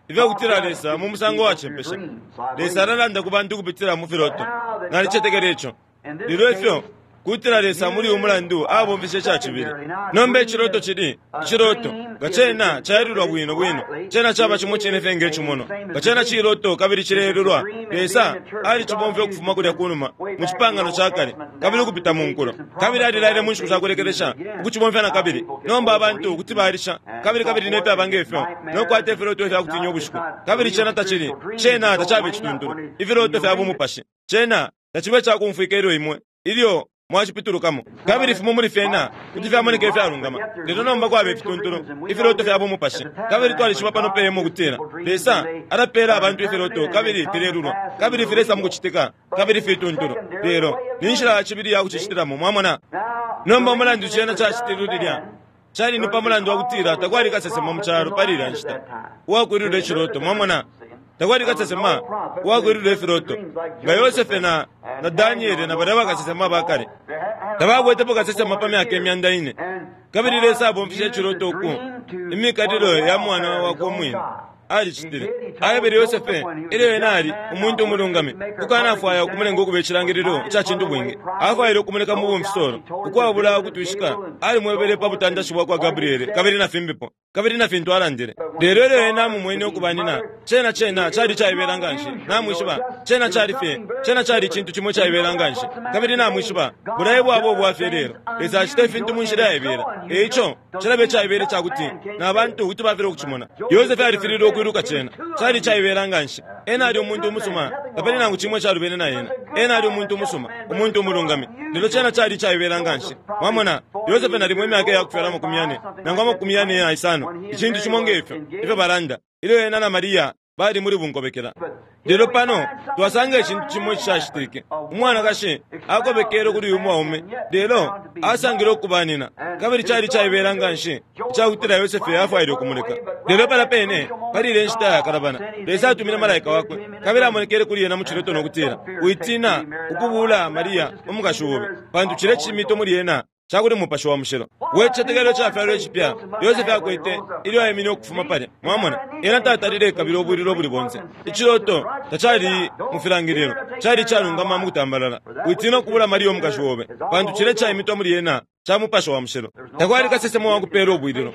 ifyakutila Lesa mu musango wacepesha. Lesa alalanda ku bantu kupitila mu filoto, nalicetekela ico. Lelo ifyo kutila Lesa muli umulandu abomfeshe cacibili. Nomba iciloto cili iciloto nga cena caelulwa bwino bwino, cena caba cimo cine fye nge cimono, nga cena ciloto kabili cileelulwa. Lesa alicibomfya ukufuma kulya kunuma mu cipangano ca kale kabili ukupita mu nkulo, kabili alilaile mu nshiku shakulekelesha ukucibomfya na kabili. Nomba abantu kuti balisha kabili kabili nefyaba ngefyo nokukwata ifiloto ifyakutinya ubushiku, kabili cena tacili, cena tacaba icituntulu ifiloto fya bumupashi. Cena tacibe cakumfwika ilyo imwe ilyo mwacipitulukamo. Kabili fimo muli fyena kuti fyamoneka ifyalungama, lelo nomba kwaba ifituntulu ifiloto fya bumupashi. Kabili twalishiba pano peyemo ukutila Lesa alapela abantu ifiloto kabili filelulwa kabili filesa mukucitika kabili fituntulu, lelo ni nshila ya cibili ya kucicitilamo. Mwamona? Nomba umulandu cena cacitilwe lilya cali ni pa mulandu wa kutila takwali kasesema mu calo pali ilya nshita uwakwilula iciloto. Mwamona? Takwali kasesema uwakwilula ifiloto nga Yosefe na na Daniele na balya bakasesema bakale. Tabakwetepo kasesema pa myaka imyanda ine. Kabili Lesa abomfeshe iciloto uku imikalilo ya mwana wakwe umwine alicitile. Aebele Yosefe ilyo ena ali umuntu umulungami kukanafwaya ukumulenga ukuba icilangililo ica cintu bwingi, afwaile ukumuleka mu bumfisolo ukwabula ukutwishika. Alimwebele pa butandashi bwa kwa Gabriele kabili na fimbipo kabili na fintu alandile. Lelo ilyo ena amumwene ukuba nina, cena cena cali caibela nganshi. Namwishiba cena cali fye, cena cali icintu cimo caibela nganshi. Kabili namwishiba bulaye bwabo bwafye lelo Lesa acita ifintu mu nshila yaibela. Eico cilabe caibele cakuti na bantu kuti bafile ukucimona. Yosefe alifililwe ukwiluka cena cali caibela nganshi. Ena ali umuntu umusuma, tapali nangu cimwe calubene na ena. Ena ali umuntu umusuma, umuntu umulungami, lelo cena cali caibela nganshi. Mwamona, Yosefe nalimo imyaka yakufyala amakumi yane nangu amakumi yane na isano, icintu cimo ngefyo ifyo balanda ilyo ena na Mariya bali muli bunkobekela. Lelo pano twasanga icintu cimo icishacitike. Umwanakashi akobekele kuli uyu mwaume, lelo asangile ukubanina, kabili cali caibela nga nshi icakutila Yosefe afwaile ukumuleka. Lelo pala pene pali ile nshita yakalabana, Lesa atumine malaika wakwe, kabili amonekele kuli ena mu ciloto no kutila, "Witina ukubula Maria umukashi obe, pantu cile cimito muli ena cakuli Mupashi wa Mushilo." We cicetekelo cafyalwa icipya Yosefe akwete ilyo aimine ukufuma palya. Mwamona, ena tatalile kabili ubwililo buli bonse. Iciloto tacali mu filangililo, cali calungama mu kutambalala. Witina ukubula Maria umukashi obe, pantu cile caimitwa muli ena ca Mupashi wa Mushilo. Takwali kasesemo wa kupela ubwililo.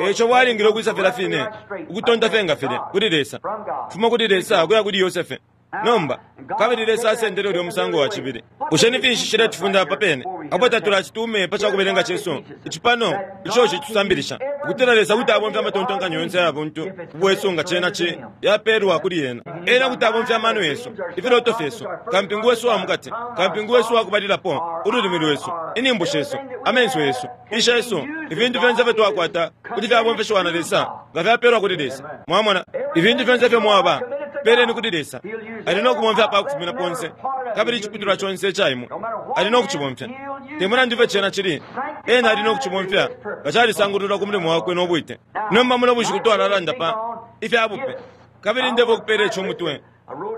Eco bwalingile ukwisa fila fine, ukutonta fye filya kuli Lesa, kufuma kuli Lesa kuya kuli Yosefe. Nomba kabili Lesa asendele ulyo musango wa cibili. Bushe ni finshi shiletifunda apa pene apo tatulacitume pa cakubelenga cesu icipano ico citusambilisha ukutila Lesa kuti abomfya amatontonkanyo yonse aya buntu ubwesu nga cena ci yapeelwa kuli ena. Ena kuti abomfya amano yesu, ifiloto fyesu, kampingu wesu wa mukati, kampingu wesu wakubalilapo, ululimi lwesu, inimbu shesu, amenso yesu, isha yesu, ifintu fyonse ifyo twakwata kuti fyabomfeshiwa na Lesa nga fyapeelwa kuli Lesa. Mwamona, ifintu fyonse ifyo mwaba peleni kuli Lesa, ali no kubomfya pa kufumina ponse, kabili iciputulwa conse ica imwe ali no kucibomfya. Te mulandu ifyo cena cili, ena ali no kucibomfya nga calisangululwa ku mulimo wakwe no bwite. Nomba muno bushiku twalalanda pa ifya bupe, kabili ndefo kupela ico umutwe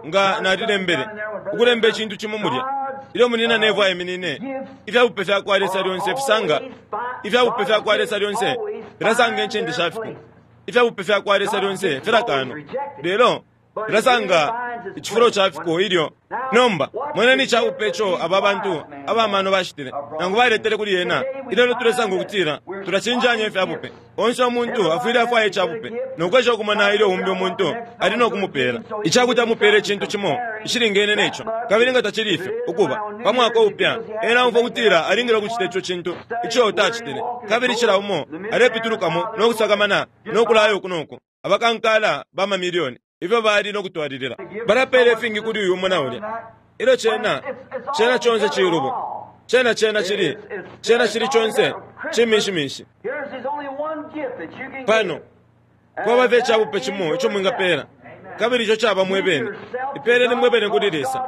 nga nalilembele ukulemba icintu cimo mulya ilyo munina nevo aiminine. Ifya bupe fya kwa Lesa lyonse fisanga, ifya bupe fya kwa Lesa lyonse filasanga incende shafiko. Ifya bupe fya kwa Lesa lyonse filakanwa, lelo filasanga icifulo cafiko ilyo. Nomba moneni icabupe ico aba bantu abamano bashitile nangu baletele kuli ena. Ilelo tulesanga ukutila tulacinjanya ifyabupe. Onse umuntu afwile afwaya icabupe nokwesha ukumona ilyo umbi umuntu ali no kumupela icakuti amupele icintu cimo icilingene neco. Kabili nga tacili ifyo, ukuba pa mwaka upya ena umfwa ukutila alingile ukucita ico cintu ico tacitile, kabili cila umo alepitulukamo no kusakamana no kulaya uku noku. Abakankala ba mamilioni ifyo bali no kutwalilila balapela ifingi kuli uyu umo na ulya. Ilyo cena cena conse cilubo, cena cena cili cena cili conse cimishimishi. Pano kwaba fye icabupe cimo ico mwingapela, kabili ico caba mwebene. Ipeleni mwebene kuli Lesa,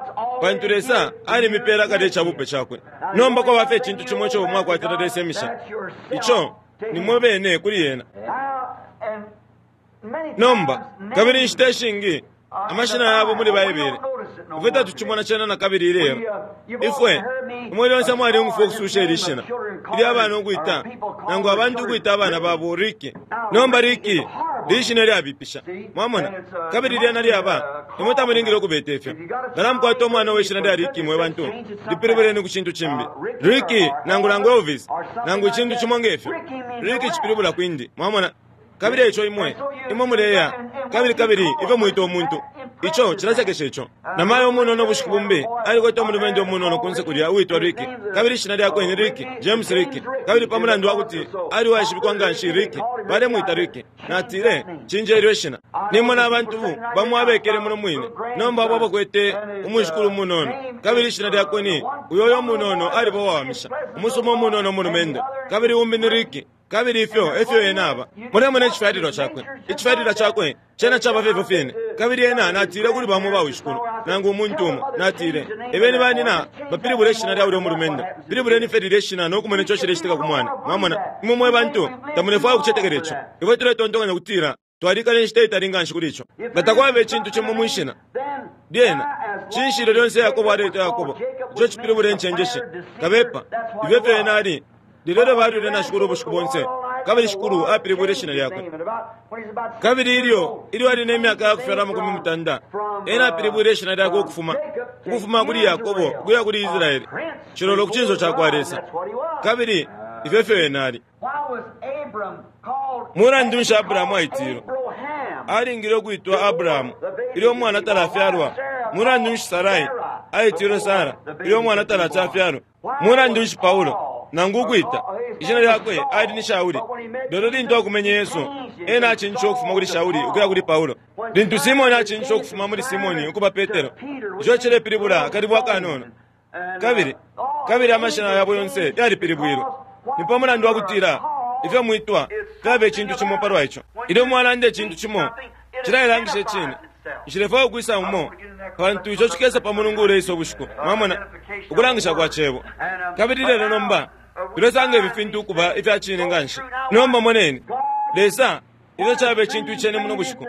pantu Lesa alimipela kale icabupe cakwe. Nomba kwaba fye icintu cimo ico mwakwatila Lesa imisha, ico ni mwebene kuli ena. Nomba kabili inshita ishingi amashina yabo muli Baibele ifwe tatucimona cena na kabili ilelo. Ifwe imwe lyonse mwaliumfwa ukususha ili shina ilyo abana ukwita nangu abantu ukwita abana babo Riki. Nomba Riki lishina lyabipisha, mwamona, kabili lyena lyaba imwe tamulingile ukubeta ifyo. Nga namukwata umwana we shina lya Riki, mwe bantu lipilibuleni ku cintu cimbi, Riki nangu nangu Elvis nangu icintu cimo ngefyo. Riki cipilibula kwindi, mwamona. Kabili ico imwe imwe muleya kabili kabili ifyo mwita umuntu, ico cilasekesha ico. Namayo umunono ubushiku bumbi alikwete umulumendo umunono kunse kulya uitwa Riki, kabili ishina lyakwe ni Riki, James Riki. Kabili pa mulandu wakuti ali waishibikwa nga nshi Riki, balemwita Riki. Natile, cinjelyo ishina. Nimona abantu bamo abekele muno mwine nomba abo abakwete umwishikulu umunono, kabili ishina lyakwe ni uyoyo umunono aliba uwawamisha umusuma umunono umulumendo, kabili umbi ni Riki. Kabili ifyo efyo ena aba. Mulemona icifyalilwa cakwe, icifyalilwa cakwe cena caba fye ifyo fyene. Kabili ena natile kuli bamo bawishikulu nangu umuntu umo, natile, ebeni banina bapilibule ishina lya ulya umulumendo, pilibuleni fye lilya ishina no kumona ico cilecitika ku mwana. Mwamona, imwe mwe bantu tamulefwaya ukucetekela ico. Ifwe tuletontonkanya ukutila twalikala inshita itali nga nshi kuli ico. Nga takwaba icintu cimo mwishina lyena, cinshi ilyo lyonse Yakobo aleita Yakobo, ico cipilibula incenjeshi, kabepa, ifyo efyo ena ali. Lelo balwile na Shikulu ubushiku bonse, kabili Shikulu apilibwile ishina lyakwe. Kabili ilyo ilyo ali ne myaka ya kufyalwa amakumi mutanda, ena apilibwile ishina lyakwe ukufuma ukufuma kuli Yakobo ukuya kuli Israeli, cilolo ku cinso ca kwa Lesa. Kabili ifyo efyo ena ali. Mulandu nshi Abrahamu aitilwe? Alingile ukwitwa Abrahamu ilyo umwana talafyalwa. Mulandu nshi Sarai aitilwe Sara ilyo umwana talacafyalwa? Mulandu nshi Paulo nangu ukwita ishina lyakwe ali ni Shauli, lelo lintu akumenye Yesu, ena acinjishe ukufuma kuli Shauli ukuya kuli Paulo. Lintu Simoni acinjishe ukufuma muli Simoni ukuba Petero, ico cilepilibula akalibwa akanono. Kabili kabili amashina yabo yonse yalipilibwilwe. Ni pa mulandu wakutila ifyo mwitwa fyaba icintu cimo palwa ico. Ilyo mwalanda icintu cimo, cilayilangisha icine, Nshilefwaya ukwisa umo, pantu ico cikesa pa Mulungu uleisa ubushiku. Mwamona, ukulangisha kwa Cebo. Kabili lelo nomba tulesanga ifi fintu ukuba ifya cine nganshi. Nomba moneni, Lesa, ifyo caba icintu icene muno bushiku,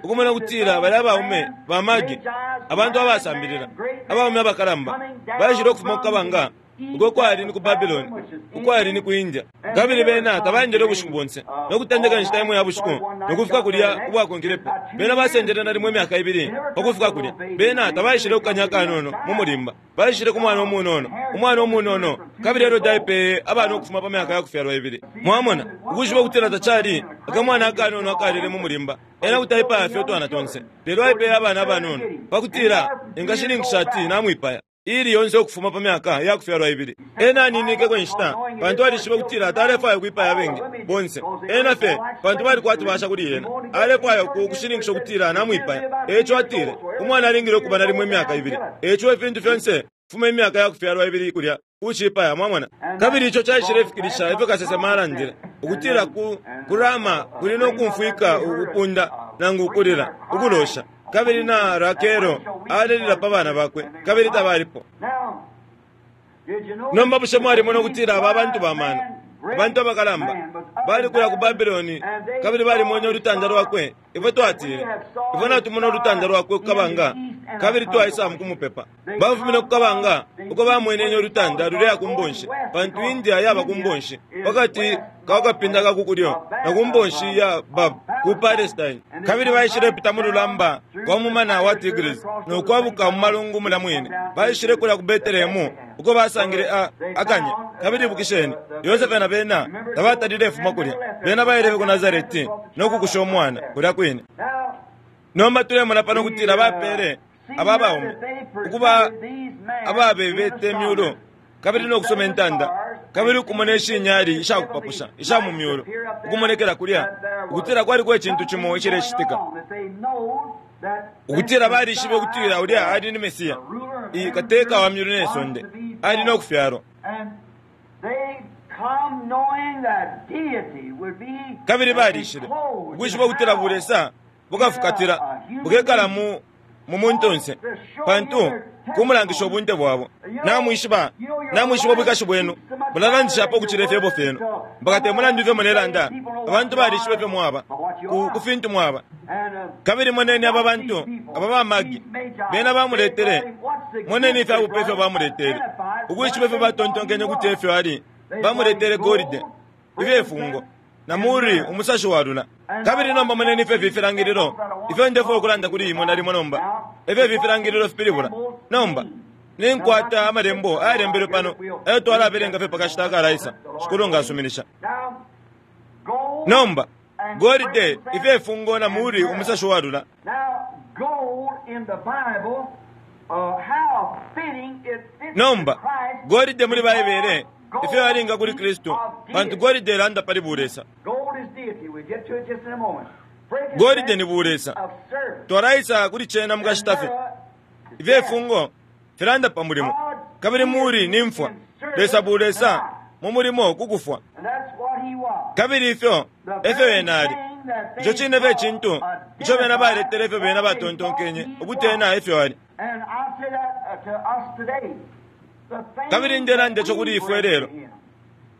ukumona kutila bali abaume ba magi, abantu abasambilila, abaume abakalamba, baishile ukufuma ku kabanga, uko kwali ni ku Babylon, ukwali ni ku India. Kabili bena tabaendele ubushiku bonse, no kutendeka inshita imo ya bushiku no kufika kulya ubwakonkelepo. Bena basendele nalimo imyaka ibili pa kufika kulya. Bena tabaishile kukanya kanono mu mulimba, baishile ku mwana umunono, umwana umunono. Kabili Herode aipeye abana ukufuma pa myaka ya kufyalwa ibili. Mwamona, ukwishiba ukutila tacali akamwana akanono akalele mu mulimba, ena kuti aipaya fye utwana tonse, lelo aipeye abana abanono pakutila engashininkisha ati namwipaya ili yonse ukufuma pa myaka ya kufyalwa ibili. Ena aninikeko inshita, pantu alishiba kutila atalefwaya ukwipaya abengi bonse. Ena fye, pantu balikwati basha kuli yena, alefwaya ukushininkisha ukutila namwipaya. Eco atile umwana alingile ukuba nalimo imyaka ibili. Eco ifintu fyonse fuma imyaka ya kufyalwa ibili kulya ucipaya. Mwamona, kabili ico caishilefikilisha ifyo kasesema alandile ukutila ku kurama kuli no kumfwika ukupunda nangu ukulila ukulosha. Kabili na Rakelo alelila pa bana bakwe, kabili tabalipo. Nomba bushe mwalimona ukutila aba bantu ba mano, abantu abakalamba, bali kulya ku Babiloni, kabili balimwene ulutanda lwakwe. Ifwe twatile, ifwe natumona ulutanda lwakwe kukabanga, kabili twaisa mukumupepa. Bafumine kukabanga uko bamwenenye ulutanda luleya ku mbonshi, pantu India yaba ku mbonshi pakati ka kapinda ka kukulyo na ku mbonshi ya Bab ku Palestine. Kabili baishile pita mu lulamba kwa mumana wa Tigris no kwabuka mu malungu mula mwine. Baishile kulya ku Betelehemu uko basangile a akanya. Kabili ibukisheni, Yosefe na bena tabatalile fuma kulya. Bena baile ku Nazareti no kukusha umwana kulya kwine. Nomba tulemona pano kutila bapele aba baume ukuba ababebete myulu, kabili no kusoma intanda, kabili ukumona ishinyali ishakupapusha isha mu myulu ukumonekela kulya, ukutila kwaliko icintu cimo icilecitika, ukutila balishibe ukutila ulya ali ni Mesiya, kateka wa myulu ne sonde, ali no kufyalwa. Kabili balishile ukwishiba ukutila bulesa bukafukatila bukekala mu mu muntunse, pantu kumulangisha ubunte bwabo. Namwishiba, namwishiba ubwikashi bwenu, mulalandishapo ukucila ifyebo fyenu, mpaka temulandu ifyo mulelanda, abantu balishiba ifyo mwaba ku, ku fintu mwaba. Kabili moneni aba bantu aba bamagi bena bamuletele, moneni ifyabupe ifyo bamuletele, ukwishiba ifyo batontonkenye ukuti efyo ali. Bamuletele golide, ifyefungo, na muri umusashi walula. Kabili nomba moneni ifyo ifilangililo ifyo ndefwaya ukulanda kuli imwe nalimo nomba, ifyo ifilangililo fipilibula. Nomba ninkwata amalembo ayalembelwe pano ayo twalabelenga fye pakashita akalaisa, Shikulu ngasuminisha. Nomba golide, ifyefungo, na muri umusashi walula. Nomba golide muli Baibele ifyo yalinga kuli Kristu, pantu golide ilanda pali bulesa. Golide ni bulesa, twalaisa kuli cena mukashita fye. Ifyefungo filanda pa mulimo, kabili muri ni mfwa. Lesa bulesa mu mulimo kukufwa, kabili ifyo efyo ena ali. Ico cine fye cintu ico bena baletele ifyo bena batontonkenye ukuti ena efyo ali. Kabili ndelanda ico kuli ifwe lelo,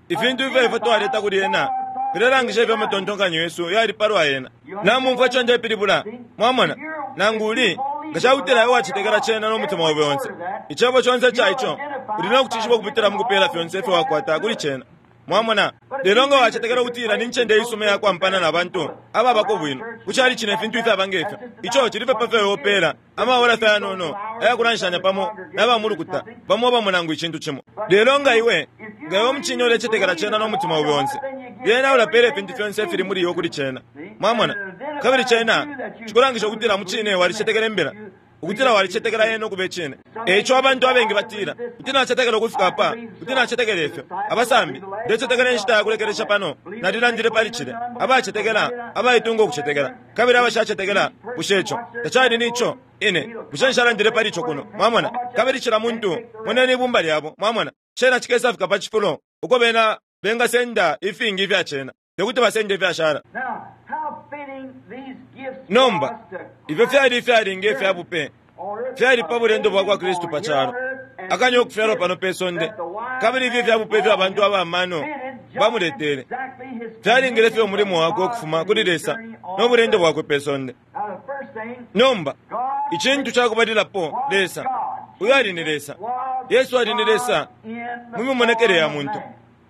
ifintu ifyo ifwe twaleta kuli ena filelangisha ifyo amatontonkanyo yesu yali palwa ena. Namumfwa ico ndepilibula? Mwamona, nangu uli nga cakutila iwe wacetekela cena no mutima obe onse, icebo conse ca ico uli no kucishiba ukupitila mu kupela fyonse ifyo wakwata kuli cena. Mwamona, lelo nga wacetekela ukutila ni ncende isuma ya kwampana na bantu ababako bwino, kucali cine ifintu ifyaba ngefyo, ico cili fye pa fyo iwe amaola fye ayanono ayakulanshanya pamo na bamulukuta bamo bamo nangu icintu cimo. Lelo nga iwe nga iwe mucine ulecetekela cena no mutima obe onse, lyena ulapela ifintu fyonse ifili muli iwe kuli cena. Mwamona, kabili cena cikulangisha ukutila mucine walicetekela imbila, ukutila walicetekela yena ukuba icine. Eico abantu abengi batila, kuti nacetekela ukufika apa, kuti nacetekela ifyo. Abasambi, ndecetekela inshita ya kulekelesha pano, nalilandile pali cile. Abacetekela, abaitunga ukucetekela, kabili abashacetekela, bushe ico tacali nico? Ine, bushe nshalandile pali ico kuno? Mwamona, kabili cila muntu, moneni ibumba lyabo. Mwamona, cena cikesafika pa cifulo uko bena bengasenda ifingi ifya cena, tekuti basende ifyashala. Nomba ifyo fyali ifyalinga ifya bupe fyali pa bulendo bwa kwa Kristu pa calo, akanya ukufyalwa pano pe sonde, kabili ifyo ifya bupe ifyo abantu abamano bamuletele fyalingile fye umulimo wakwe ukufuma kuli Lesa no bulendo bwakwe pe sonde. Nomba icintu cakubalilapo, Lesa uyo ali ni Lesa, Yesu ali ni Lesa mu mimonekele ya muntu.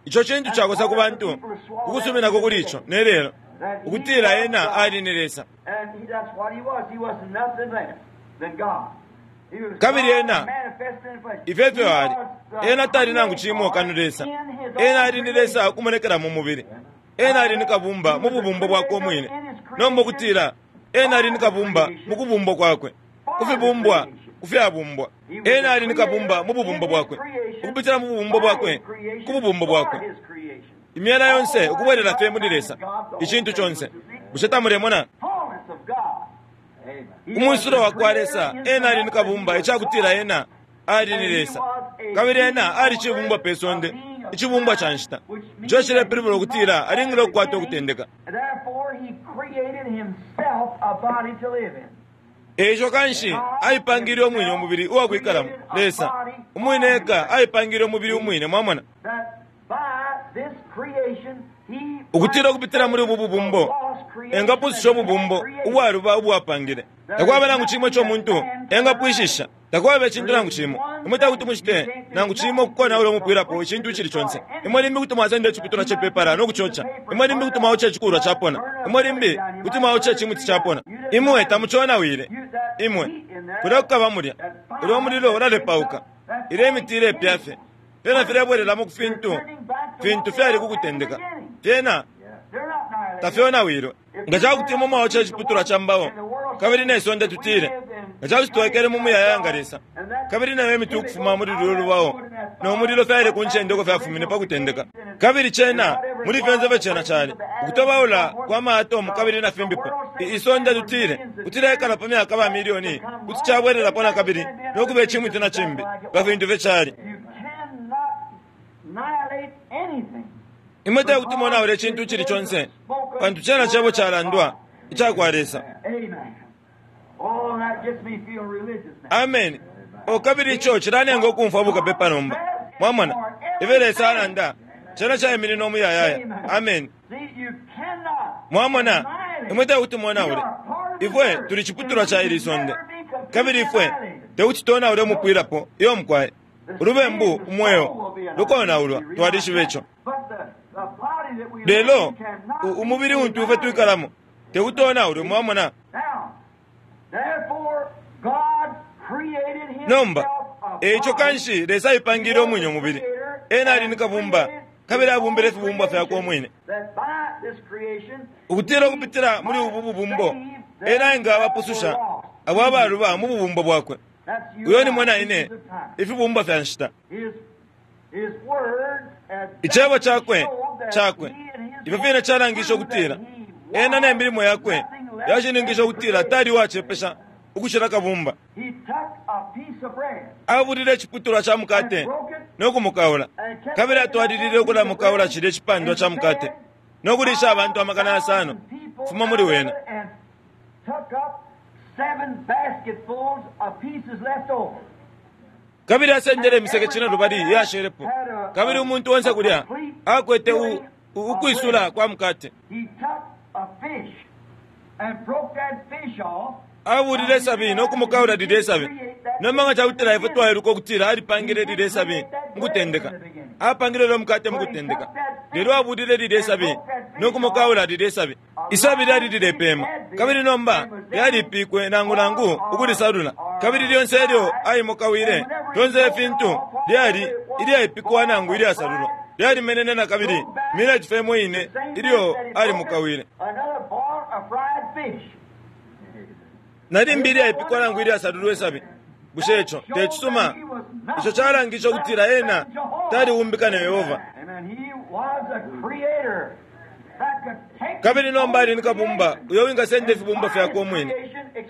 Ico cintu cakosa ku bantu ukusuminako kuli ico nelelo, ukutila ena ali ni Lesa. Kabili ena ifyo ifyo ali, ena tali nangu cimo kano Lesa. Ena ali ni Lesa ukumonekela mu mubili. Ena ali ni kabumba mu bubumbo bwakwe umwine. Nomba ukutila ena ali ni kabumba mu kubumbwa kwakwe, kufibumbwa kufyabumbwa. Ena ali ni kabumba mu bubumbo bwakwe, ukupitila mu bubumbo bwakwe, ku bubumbo bwakwe. Imyela yonse ukubwelela fye muli Lesa, icintu conse. Bushe tamulemona? Umwisulo wa kwa Lesa, ena ali ni kabumba, icakutila ena ali ni Lesa. Kabili ena ali cibumbwa pe sonde, icibumbwa ca nshita. Ico cilepilibula ukutila alingile ukukwata ukutendeka. Eico kanshi aipangile umwine umubili uwakwikalamo. Lesa umwine eka aipangile umubili umwine, mwamona, ukutila ukupitila muli ubu bubumbo engapwishisha ububumbo ubwaluba ubwapangile. Takwaba nangu cimo ico umuntu engapwishisha, takwaba icintu nangu cimo. Imwe takuti mucite nangu cimo ukukonaula umupwilapo icintu icili conse. Imwe limbi kuti mwasenda iciputulwa cepepala no kucoca. Imwe limbi kuti mwaoca icikulwa capona. Imwe limbi kuti mwaoca icimuti capona. Imwe tamuconawile. Imwe kulya kukaba mulya ulya umulilo ulalepauka, ilya imiti ilepya fye. Fyena filebwelelamo ku fintu fintu fyali kukutendeka. Fyena tafyonawilwe. Nga cakuti imwe mwaoca iciputulwa ca mbao kabili ne sonde tutile, nga cakuti twekele mu muyayaya nga Lesa, kabili nayo imiti ukufuma muli lulyo lubao no mulilo fyali ku ncende uko fyafumine pa kutendeka, kabili cena muli fyonse fye cena cali ukutobaula kwa maatomu kabili na fimbipo, isonde tutile kuti lyekala pa myaka ba milioni, kuti cabwelelapo na kabili no kuba icimuti na cimbi nga fintu fye cali. Imwe tekuti monaule icintu icili conse, pantu cena cebo calandwa icakwa Lesa. Amen. O kabili ico cilanenga ukumfwa bukapepa nomba. Mwamona ifyo Lesa alanda, cena caiminina umuyayaya. Amen. Mwamona, imwe tekuti monaule. Ifwe tuli ciputulwa ca ili sonde, kabili ifwe tekuti tonaule umupwilapo. Iyo mukwaye ulubembu umweo lukonaulwa, twalishiba ico. Lelo umubili untu ifwe twikalamo tekuti onaulwe. Mwamona? Nomba eico kanshi Lesa aipangile umwine umubili. Ena ali ni kabumba, kabili abumbile ifibumbwa fyakwe umwine, ukutila ukupitila muli ubu bubumbo ena engabapususha abo abaluba mu bubumbo bwakwe. Uyo ni mwe na ine, ifibumbwa fya nshita. Icebo cakwe cakwe ifyo fine calangisha ukutila ena ne milimo yakwe yashininkisha ukutila tali uwacepesha ukucila kabumba. Abulile iciputulwa ca mukate no kumukaula, kabili atwalilile ukulamukaula cilya icipandwa ca mukate no kulisha abantu amakana yasano kufuma muli wena. Kabili asendele imiseke cine lubali iyashelepo, kabili umuntu onse kulya akwete ukwisula kwa mukate. Abulile sabi no kumukaula lilye sabi. Nomba nga cakutila ifwe twailuka ukutila alipangile lilye sabi mukutendeka, apangile ulya mukate mukutendeka, lelo abulile lilye sabi no kumukaula lilye sabi. Isabi lyali lilepema, kabili nomba lyalipikwe nangu nangu ukulisalula, kabili lyonse elyo aimukawile lyonse ifintu lyali ilyaipikwa nangu ilyasalulwa lyalimenene na kabili mileti fye ine ilyo alimukawile. Nalimbi ilyaipikwa nangu ilyasalulwa isabi. Bushe ico tecisuma? Ico calangisha ukutila ena taliumbikane Yehova. Kabili nomba ali ni kabumba uyo wingasenda ifibumba fyakwe umwine,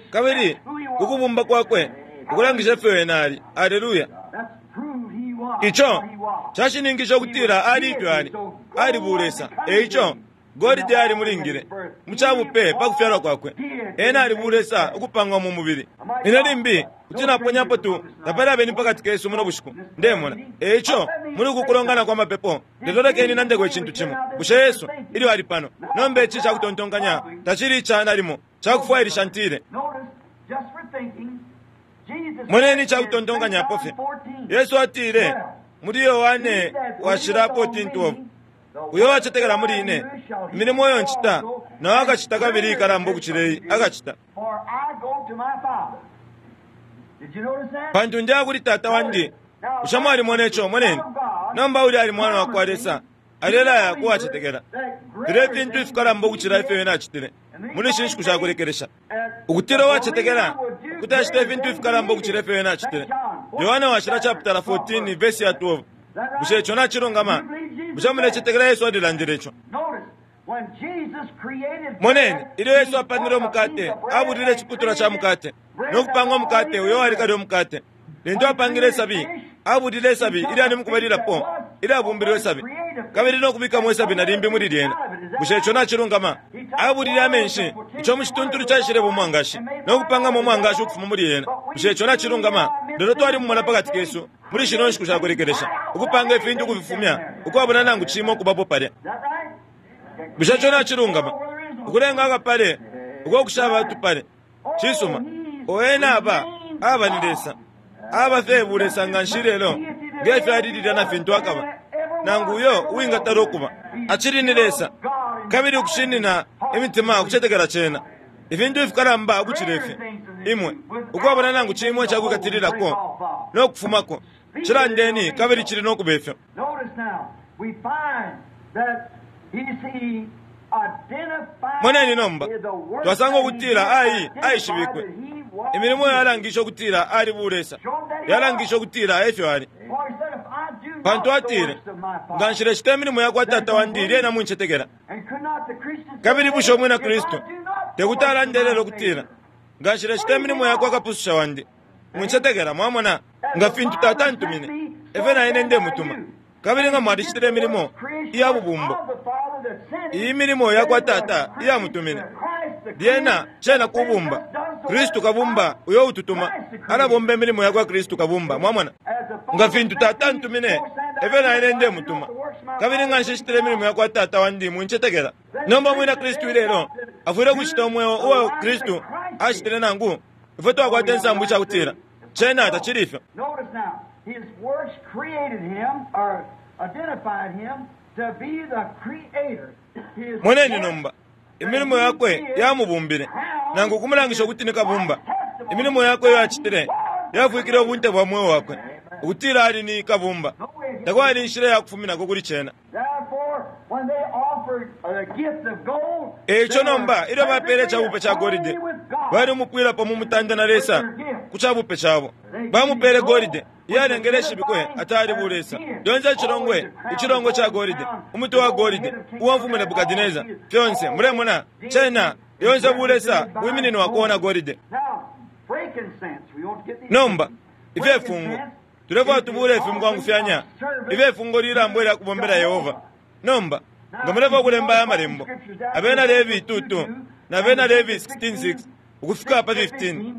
kabili ukubumba kwakwe ukulangisha ifyo ena ali. Aleluya! Ico cashininkisha ukutila ali ifyo ali, ali bulesa. Eico golide alimulingile mucabupe pa kufyalwa kwakwe. Ena ali bulesa ukupangwa mu mubili. Ine limbi kuti naponyapo tu tapali abeni pakati kesu muno bushiku, ndemona. E ico muli uku kulongana kwa mapepo, lelo lekeni nandeko icintu cimo. Bushe Yesu ilyo ali pano nomba ici cakutontonkanya tacili ica nalimo cakufwailisha ntile. Moneni icakutontonkanyapo fye. Yesu atile muli Yohane washila fourteen twelve, uyo wacetekela muli ine, imilimo iyo ncita nawe akacita kabili ikalamba ukucila iyi akacita, pantu ndiya kuli Tata wandi. Bushe mwalimona ico? Moneni nomba uli ali mwana wa kwa Lesa alelaya kuwacetekela. Filya ifintu ifikalamba ukucila ifyo ena acitile muli ishi nshiku shakulekelesha, ukutila uwacetekela kuti acita ifintu ifikalamba ukucila ifyo ena acitile. Yohane washila chapitala fourteen verse ya twelve. Bushe ico nacilungama? Bushe mulecetekela Yesu alilandile ico? Moneni ilyo Yesu apangile umukate, abulile iciputulwa ca mukate no kupanga umukate uyo wali kale umukate. Lintu apangile isabi, abulile isabi ilyali mukubalilapo ilyabumbilwe isabi, kabili no kubikamo isabi na limbi muli lyena. Bushe ico nacilungama? Abulile amenshi, ico mu cituntulu caishileba umwangashi, no kupangamo umwangashi ukufuma muli yena. Bushe ico nacilungama? Lelo twalimumona pakati kesu muli shino nshiku shakulekelesha ukupanga ifintu ukufifumya ukwabula nangu cimo ukubapo palya. Bushe ico nacilungama? Ukulenga akapale uko kushaba tupale. Cisuma, ena aba aba ni Lesa, aba fye bulesa nga nshi lelo ngefyo alililya na fintu akaba, nangu uyo uwingatala ukuba acili ni Lesa, kabili ukushinina imitima ukucetekela cena ifintu ifikalamba ukucila ifi imwe ukwabona nangu cimo icakwikatililako no kufumako. Cilandeni kabili cili no kuba ifyo. Moneni nomba twasanga ukutila ai aishibikwe imilimo yalangisha ukutila ali bulesa, yalangisha ukutila efyo ali, pantu atile nga nshilecita imilimo yakwa Tata wandi lyena muncetekela. Kabili bushe umwina Kristu tekuti alandelele ukutila nga nshilecita imilimo yakwa kapususha wandi muncetekela? Mwamona, nga fintu Tata antumine efyo na ine ndemutuma. Kabili nga mwalicitile imilimo iya bubumbo, iyi milimo yakwa Tata iyamutumine, lyena cena kubumba Kristu kabumba uyo ututuma alabomba imilimo yakwa Kristu kabumba. Mwamona, nga fintu Tata antumine efyo na ine ndemutuma, kabili nga nshicitile imilimo yakwa Tata wandi muncetekela. Nomba mwina Kristu ilelo afwile kucita umweo uwa Kristu acitile, nangu ifwe twakwata insambu icakutila cena tacili ifyo. His works created him or identified him to be the creator. Moneni nomba imilimo yakwe yamubumbile nangu kumulangisha ukuti ni kabumba. Imilimo yakwe iyo acitile yafwikile ubunte bwa mweo wakwe ukutila ali ni kabumba. Takwali inshila yakufuminako kuli cena. Eico nomba ilyo bapele icabupe ca golide, bali umupwilapo mu mutanda na Lesa ku cabupe cabo. Bamupele golide iyalengele ishibikwe atali bulesa. Lyonse icilongwe, icilongwe ca golide, umuti wa golide uwa mfumu Nebukadineza, fyonse mulemona cena lyonse bulesa bwimininwako na golide. Nomba ifyefungo tulefwa tubule ifi mukwangufyanya ifyefungo lilambo ilya kubombela Yehova. Nomba nga mulefwa kulemba aya malembo, abena Levi two two na abena Levi sixteen six ukufika pa fifteen,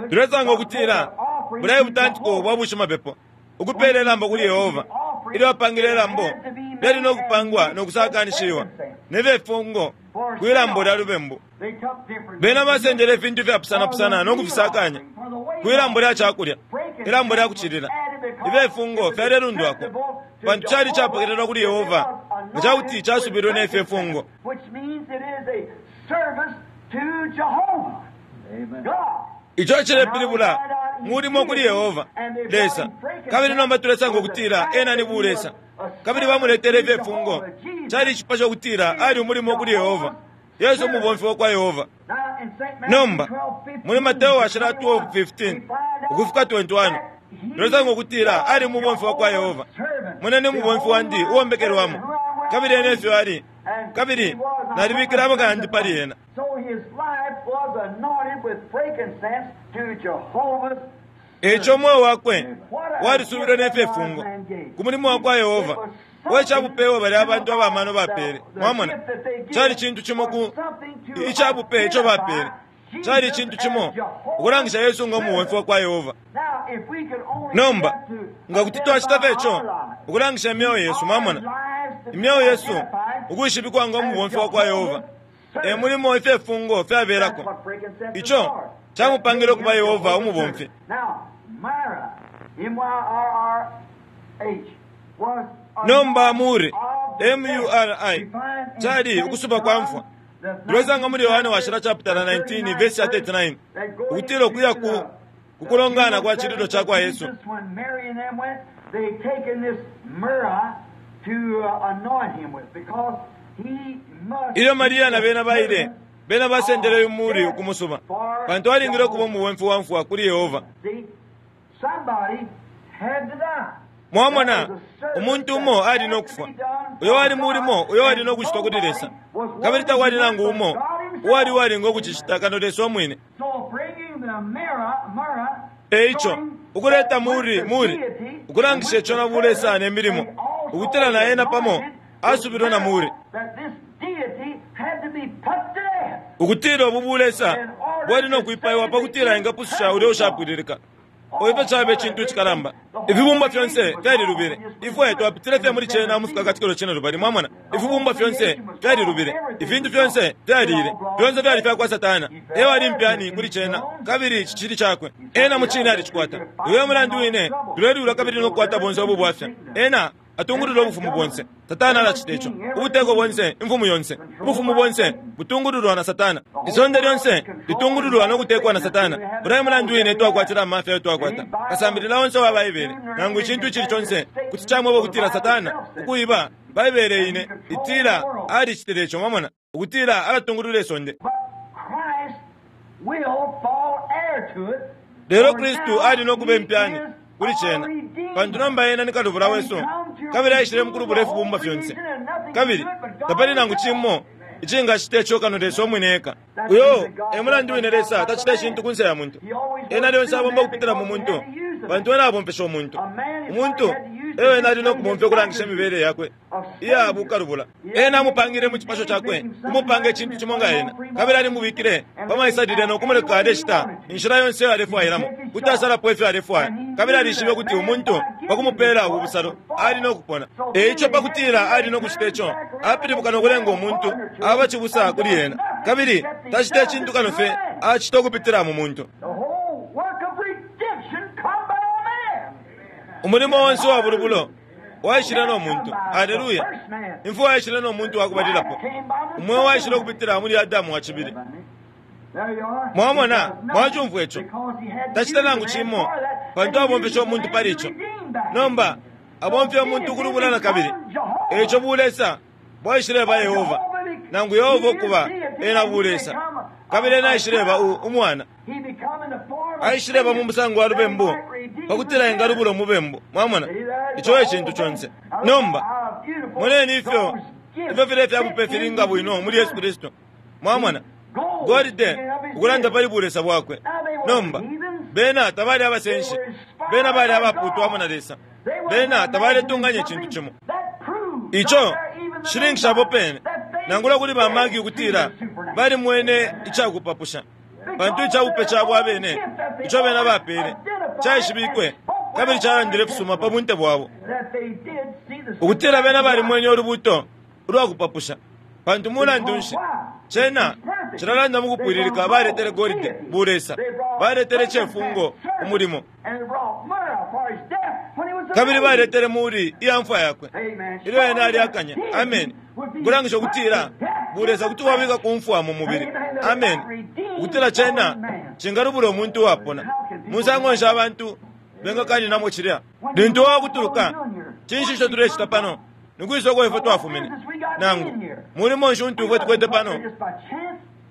tulesanga ukutila bulayi butantiko bwa bushimapepo ukupela ilambo kuli Yehova. Ilyo bapangile ilambo lyali no kupangwa no kusakanishiwa nefyefungo kwilambo lya lubembu. Bena basendele ifintu ifyapusanapusana no kufisakanya kwilambo lya cakulya, ilambo lya kucilila. Ifyefungo fyalelundwako pantu cali capokelelwa kuli Yehova nga cakuti casubilwe nefyefungo. Ico cilepilibula mulimo kuli Yehova Lesa. Kabili nomba tulesanga ukutila ena ni bulesa, kabili bamuletele ifyefungo. Cali icipasho ukutila ali umulimo kuli Yehova, Yesu umubomfi wa kwa Yehova. Nomba muli Mateo washila twelve fifteen ukufika twenty-one tulesanga ukutila ali umubomfi wa kwa Yehova. Moneni umubomfi wandi uwombekelwamo, kabili ena efyo ali, kabili nalibikile amaka yandi pali ena. Eico umweo wakwe walisubilwe nefyefungo ku mulimo wa kwa Yehova. We cabupe bali abantu abamano bapele. Mwamona, cali cintu cimo ku icabupe ico bapele cali cintu cimo ukulangisha Yesu nga umubomfi wa kwa Yehova. Nomba nga kuti twacita fye ico ukulangisha imyeo yesu, mwamona, imyeo yesu ukwishibikwa nga umubomfi wa kwa Yehova e mulimo ifye fungo fyabelako. Ico camupangile ukuba Yehova umubomfi. Nomba muri M U R I cali ukusuba kwa mfwa. Tulesanga muli Yohane washila chapter nineteen verse thirty-nine ukutila ukuya ku kukulongana kwa chililo cha kwa Yesu. Ilyo Maria na bena baile, bena basendele umuri ukumusuba pantu alingile ukuba umubomfi wa mfwa kuli Yehova. Mwamona, umuntu umo ali nokufwa, uyo wali mulimo uyo wali nokuchitwa kuli Lesa, kabili takwali nangu umo uwali walinga ukuchicita kano Lesa omwine. Eico ukuleta muri muri ukulangisha ico na bulesa ne milimo ukutila na ena pamo asubirwe na muri ukutila ubu bulesa bwali nokwipaiwa pakutila ingapususha ulya ushapwililika. Oipe chabe chintu chikalamba. Ifibumba fyonse fyalilubile. Ifwe twapitile fye muri chena mufika katikelo chena lubali, mwamona. Ifibumba fyonse fyalilubile. Ifintu fyonse fyalile. Fyonse fyali fya kwa Satana. Ewa ali mpyani kuli chena kabili chichili chakwe. Ena muchina alichikwata. Iwe mulandu wine tulelula kabili nokukwata bonse obu bwafya. Ena atungulula obufumu bonse. Satana alachita ico. Ubuteko bonse, imfumu yonse. Ubufumu bonse butungululwa na Satana. Isonde lyonse litungululwa nokutekwa na Satana. Ulaye mulandu wine twakwatila amafya ayo twakwata. Kasambilila onse wa Baibele nangu icintu icili conse kuti camweba ukutila Satana ukuiba Baibele ine itila alicitile ico, mwamona, ukutila alatungulula isonde. Lelo Kristu ali nokuba impyani kuli chena pantu nomba ena ni kalubula wesu kabili aishile mukulubula ifibumba fyonse kabili tapali nangu chimo icingachita ico kano Lesa omwine eka. Uyo e mulandu wine Lesa tachita icintu kunse ya muntu. Ena lyonse abomba kupitila mu muntu pantu ena abombesha umuntu. Umuntu eyo ena ali nokubomfya ukulangisha imibele yakwe iya bukalubula. Ena amupangile mu cipasho chakwe kumupanga icintu cimo nga ena kabili alimubikile pamaisalile nokumuleka aleshita inshila yonse iyo alefwailamo kuti asalapo ifyo alefwaya kabili alishibe kuti umuntu pakumupela ubu busalo ali nokupona. Eico pakutila ali nokuchita ico apilibuka nokulenga umuntu aba chibusa kuli ena kabili tachita icintu kano fye achita ukupitila mu muntu. Umulimo wonse wa bulubulo waishile no muntu. Haleluya! Imfwa yaishile no muntu wakubalilapo. Umweo waishile ukupitila muli Adamu wa chibili. Mwamona, mwachumfwa ico. Tachita nangu chimo pantu abombesha umuntu pali ico. Nomba abomfya umuntu ukulubula na kabili. Eico bulesa bwaishile ba Yehova nangu Yehova ukuba ena bulesa kabili ena aishile ba umwana. Aishile ba mu musango wa lubembu pakutila engalubula umubembu. Mwamona, ico e cintu conse. Nomba moneni ifyo ifyo file fyabupe filinga bwino muli Yesu Kristu. Mwamona, golide ukulanda pali bulesa bwakwe. Nomba bena tabali abasenshi, bena bali abaputwamo na Lesa, bena tabaletunganya icintu cimo. Ico shilingisha apo pene nangula kuli bamagi ukutila bali mwene icakupapusha pantu icabupe cabo abene ico bena bapele caishibikwe kabili calandile fusuma pa bunte bwabo ukutila bena bali mwene olubuto ulwakupapusha pantu mulandu nshi cena cilalanda mukupwililika baletele golide bulesa baletele cefungo umulimo kabili baletele muri iya mfwa yakwe ilyo ena aliakanya. Amen. Kulangisha ukutila bulesa kuti wabika kumfwa mu mubili. Amen. Ukutila cena cingalubula umuntu wapona musango nsha abantu bengakaninamo cilya lintu wakutuluka cinshi ico tulecita pano nikwisa uko ifwe twafumine nangu mulimo nshi untu ifwe tukwete pano.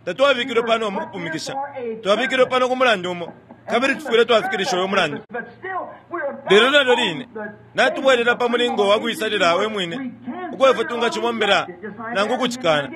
Tatwabikilwe pano mukupumikisha, twabikilwe pano ku mulandu umo kabili tufwile twafikilisha uyo mulandu. Lelo nalyo line natubwelela pa mulingo wa kuisalila we mwine uko ifwe tungacibombela nangu ukucikana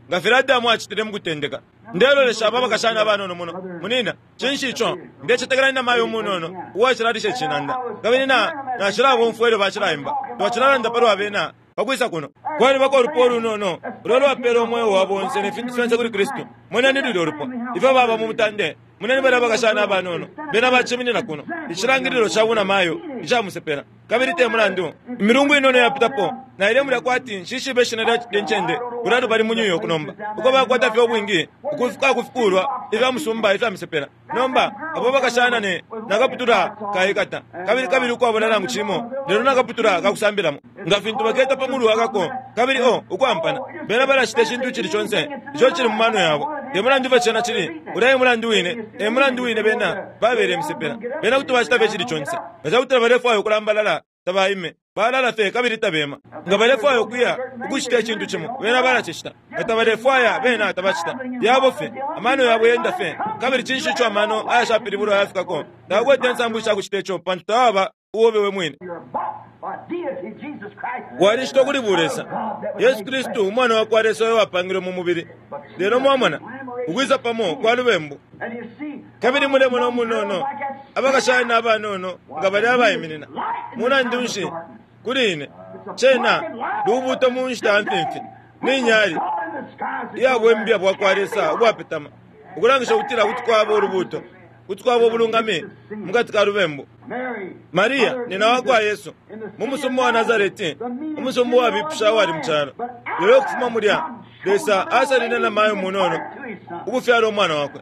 nga filya Adamu acitile mukutendeka. Ndelolesha aba bakashana abanono muno munina cinshi ico ndecetekela nina mayo umunono uwacilalisha icinanda kabili na nacilabomfwa ilyo bacilaimba twacilalanda palwa bena Pakwisa kuno kwalibako ulupwa ulunono ulo lwapela umweo wabo onse ne fintu fyonse kuli Kristu. Moneni lulya ulupwa ifyo baba mu mutande. Moneni balya abakashana abanono bena baciminina kuno, icilangililo ca bunamayo icamusepela. Kabili te mulandu imilungu inono yapitapo naile mulya kwati nshishibe ishina lya ncende kulya lubali mu New York nomba, uko bakwata fye ubwingi ukufika kufikulwa ifya musumba ifya misepela. Nomba abo bakashana ne nakaputula kaikata kabili kabili ukwabona nangu cimo, lelo nakaputula kakusambilamo nga fintu baketa pa mulu wakako kabili o ukwampana bena balashita icintu icili conse ico cili mu mano yabo. Te mulandu ifyo cena cili, ulya e mulandu wine, e mulandu wine bena babele misepela. Bena kuti bacita fye icili conse nga cakutila balefwaya ukulambalala tabaime, balala fye kabili tabema. Nga balefwaya ukuya ukucita icintu cimo, bena balacicita. Nga tabalefwaya, bena tabacita. Yabo fye amano yabo yenda fye. Kabili cinshi ico amano ayashapilibulwa ayafikako? Tabakwete insambu ishakucita ico, pantu tawaba uobe we mwine. Walishitwa kuli Bulesa, Yesu Kristu umwana wa kwa Lesa uyo wapangilwe mu mubili. Lelo mwamona ukwisa pamo kwa lubembu. Kabili mulemona umunono abakashana abanono nga bali abaiminina. Mulandu nshi kuli ine cena lubuto mu nshita ya mfimfi ni nyali iyabwembya bwa kwa Lesa ubwapetama, ukulangisha ukutila kuti kwaba ulubuto, kuti kwaba ubulungami mukati ka lubembu. Maria nina wa kwa Yesu mu musumba wa Nazareti, umusumba uwabipusha uwali mu calo. Lelo ukufuma mulya Lesa asalile na mayo munono ukufyala umwana wakwe.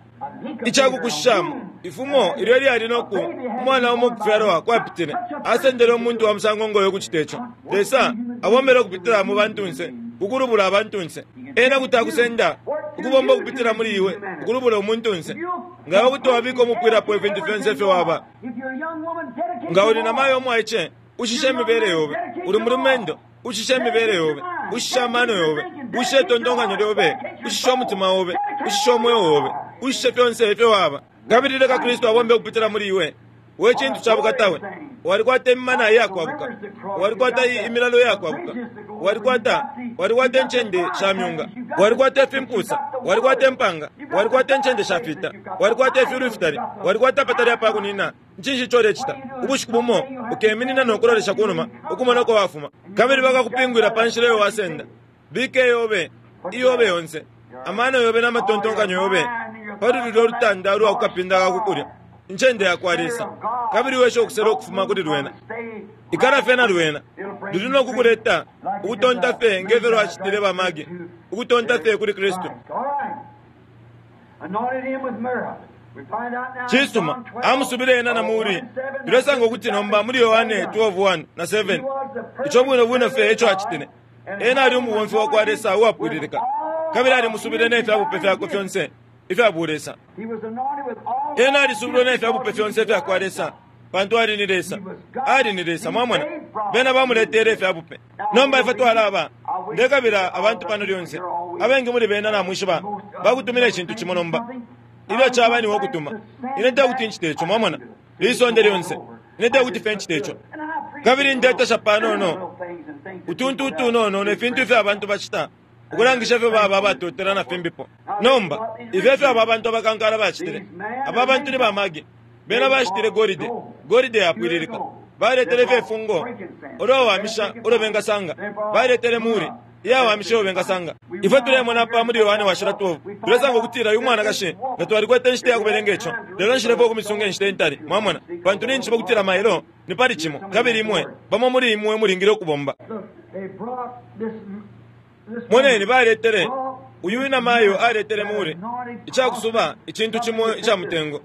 Icakukushishamo ifumo ilyo lyali noku umwana umo ukufyalwa kwapitile, asendele umuntu wa musango ngoyo ukucita ico. Lesa abombele ukupitila mu bantunse, ukulubula abantunse. Ena kuti akusenda ukubomba ukupitila muli iwe ukulubula umuntunse. Nga kuti wabika umupwilapo ifintu fyonse ifyo waba. Nga uli na mayo omwaice, ushishe imibele yobe. Uli mulumendo, ushishe imibele yobe, ushishe amano yobe, ushishe itontonkanyo lyobe, ushishe umutima obe, ushishe umweo obe, ushishe fyonse ifyo waba. Kabili leka Kristu abombe ukupitila muli iwe. We cintu ca bukatawe. Walikwata imimana iyakwabuka, walikwata imilalo iyakwabuka, walikwata walikwata incende sha myunga, walikwata ifimpusa, walikwata impanga, walikwata incende sha fita, walikwata ifyulu ifitali, walikwata apatali apakunina. Ncinshi ico ulecita? Ubushiku bumo ukeminina no kulolesha kunuma ukumona uko wafuma, kabili bakakupingwila pa nshila iyo wasenda. Bika iyobe iyobe yonse, amano yobe n'amatontonkanyo yobe pali lulya ulutanda ulwa kukapinda kakukulya, incende ya kwa Lesa, kabili wesha ukusela ukufuma kuli lwena. Ikala fye na lwena luli no kukuleta ukutonta fye ngefyo lwacitile bamagi, ukutonta fye kuli Kristu. Cisuma, amusubile ena na muri. Tulesanga ukuti nomba muli Yohane twelve one na seven, ico bwino bwino fye eco acitile. Ena ali umubomfi wa kwa Lesa uwapwililika, kabili alimusubile n'efyabupe fyakwe fyonse ifya bulesa. Ena alisubile n'efyabupe fyonse ifya kwa Lesa, pantu ali ni Lesa, ali ni Lesa. Mwamona bena bamuletele ifyabupe. Nomba ifwe twalaba ndekabila abantu pano lyonse abengi muli bena namwishiba bakutumila icintu cimo. Nomba ilyo caba niwe okutuma, ine tekuti ncite ico. Mwamona lisonde lyonse, ine tekuti fye ncite ico. Kabili ndetasha panono utuntu utunono ne fintu ifyo abantu bacita ukulangisha ifyo baba abatotela na fimbipo. Nomba ifyo ifyo aba bantu abakankala bacitile, aba bantu ni bamagi, bena bacitile golide, golide yapwililika. Baletele fye ifungo ulwawamisha ulo bengasanga, baletele muri iyawamisha ulo bengasanga. Ifwe tulemona pa muli Yohane washila twelve, tulesanga ukutila uyu mwanakashi nga twalikwete inshita yakubelenga ico, lelo nshilepo ukumisunga inshita intali. Mwamona, pantu ninjiba ukutila mailo ni pali cimo, kabili imwe bamo muli imwe mulingile ukubomba. Moneni baletele uyu inamayo aletele muri icakusuba icintu cimo ica mutengo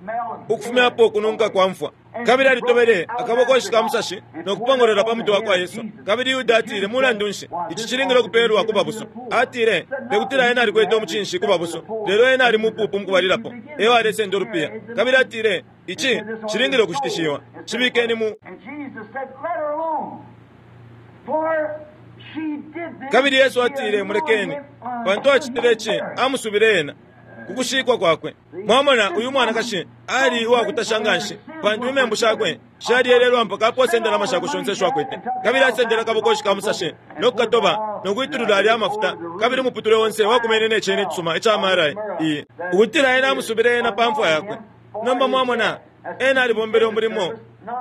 ukufumyapo ukununka kwa mfwa. Kabili alitobele akabokoshi ka musashi no kupongolola pa mutwe wa kwa Yesu. Kabili Yuda atile, mulandu nshi ici cilingile ukupeelwa ku babusu? Atile tekutila ena alikwete umucinshi ku babusu, lelo ena ali mupupu mukubalilapo, eyo alesenda ulupiya. Kabili atile ici cilingile ukushitishiwa, cibikeni mu. Kabili Yesu atile, mulekeni, pantu acitile ici amusubile ena kukushikwa kwakwe. Mwamona uyu mwanakashi ali uwakutasha nganshi, pantu imembu shakwe shalyelelwa mpaka aposa indalama shakwe shonse isho akwete. Kabili asendele akabokoshi ka musashi no kukatoba no kwitulula alya amafuta, kabili umuputule onse wakumene ne cene icisuma ica mara iyi, ukutila ena amusubile ena pa mfwa yakwe. Nomba mwamona ena alibombele umulimo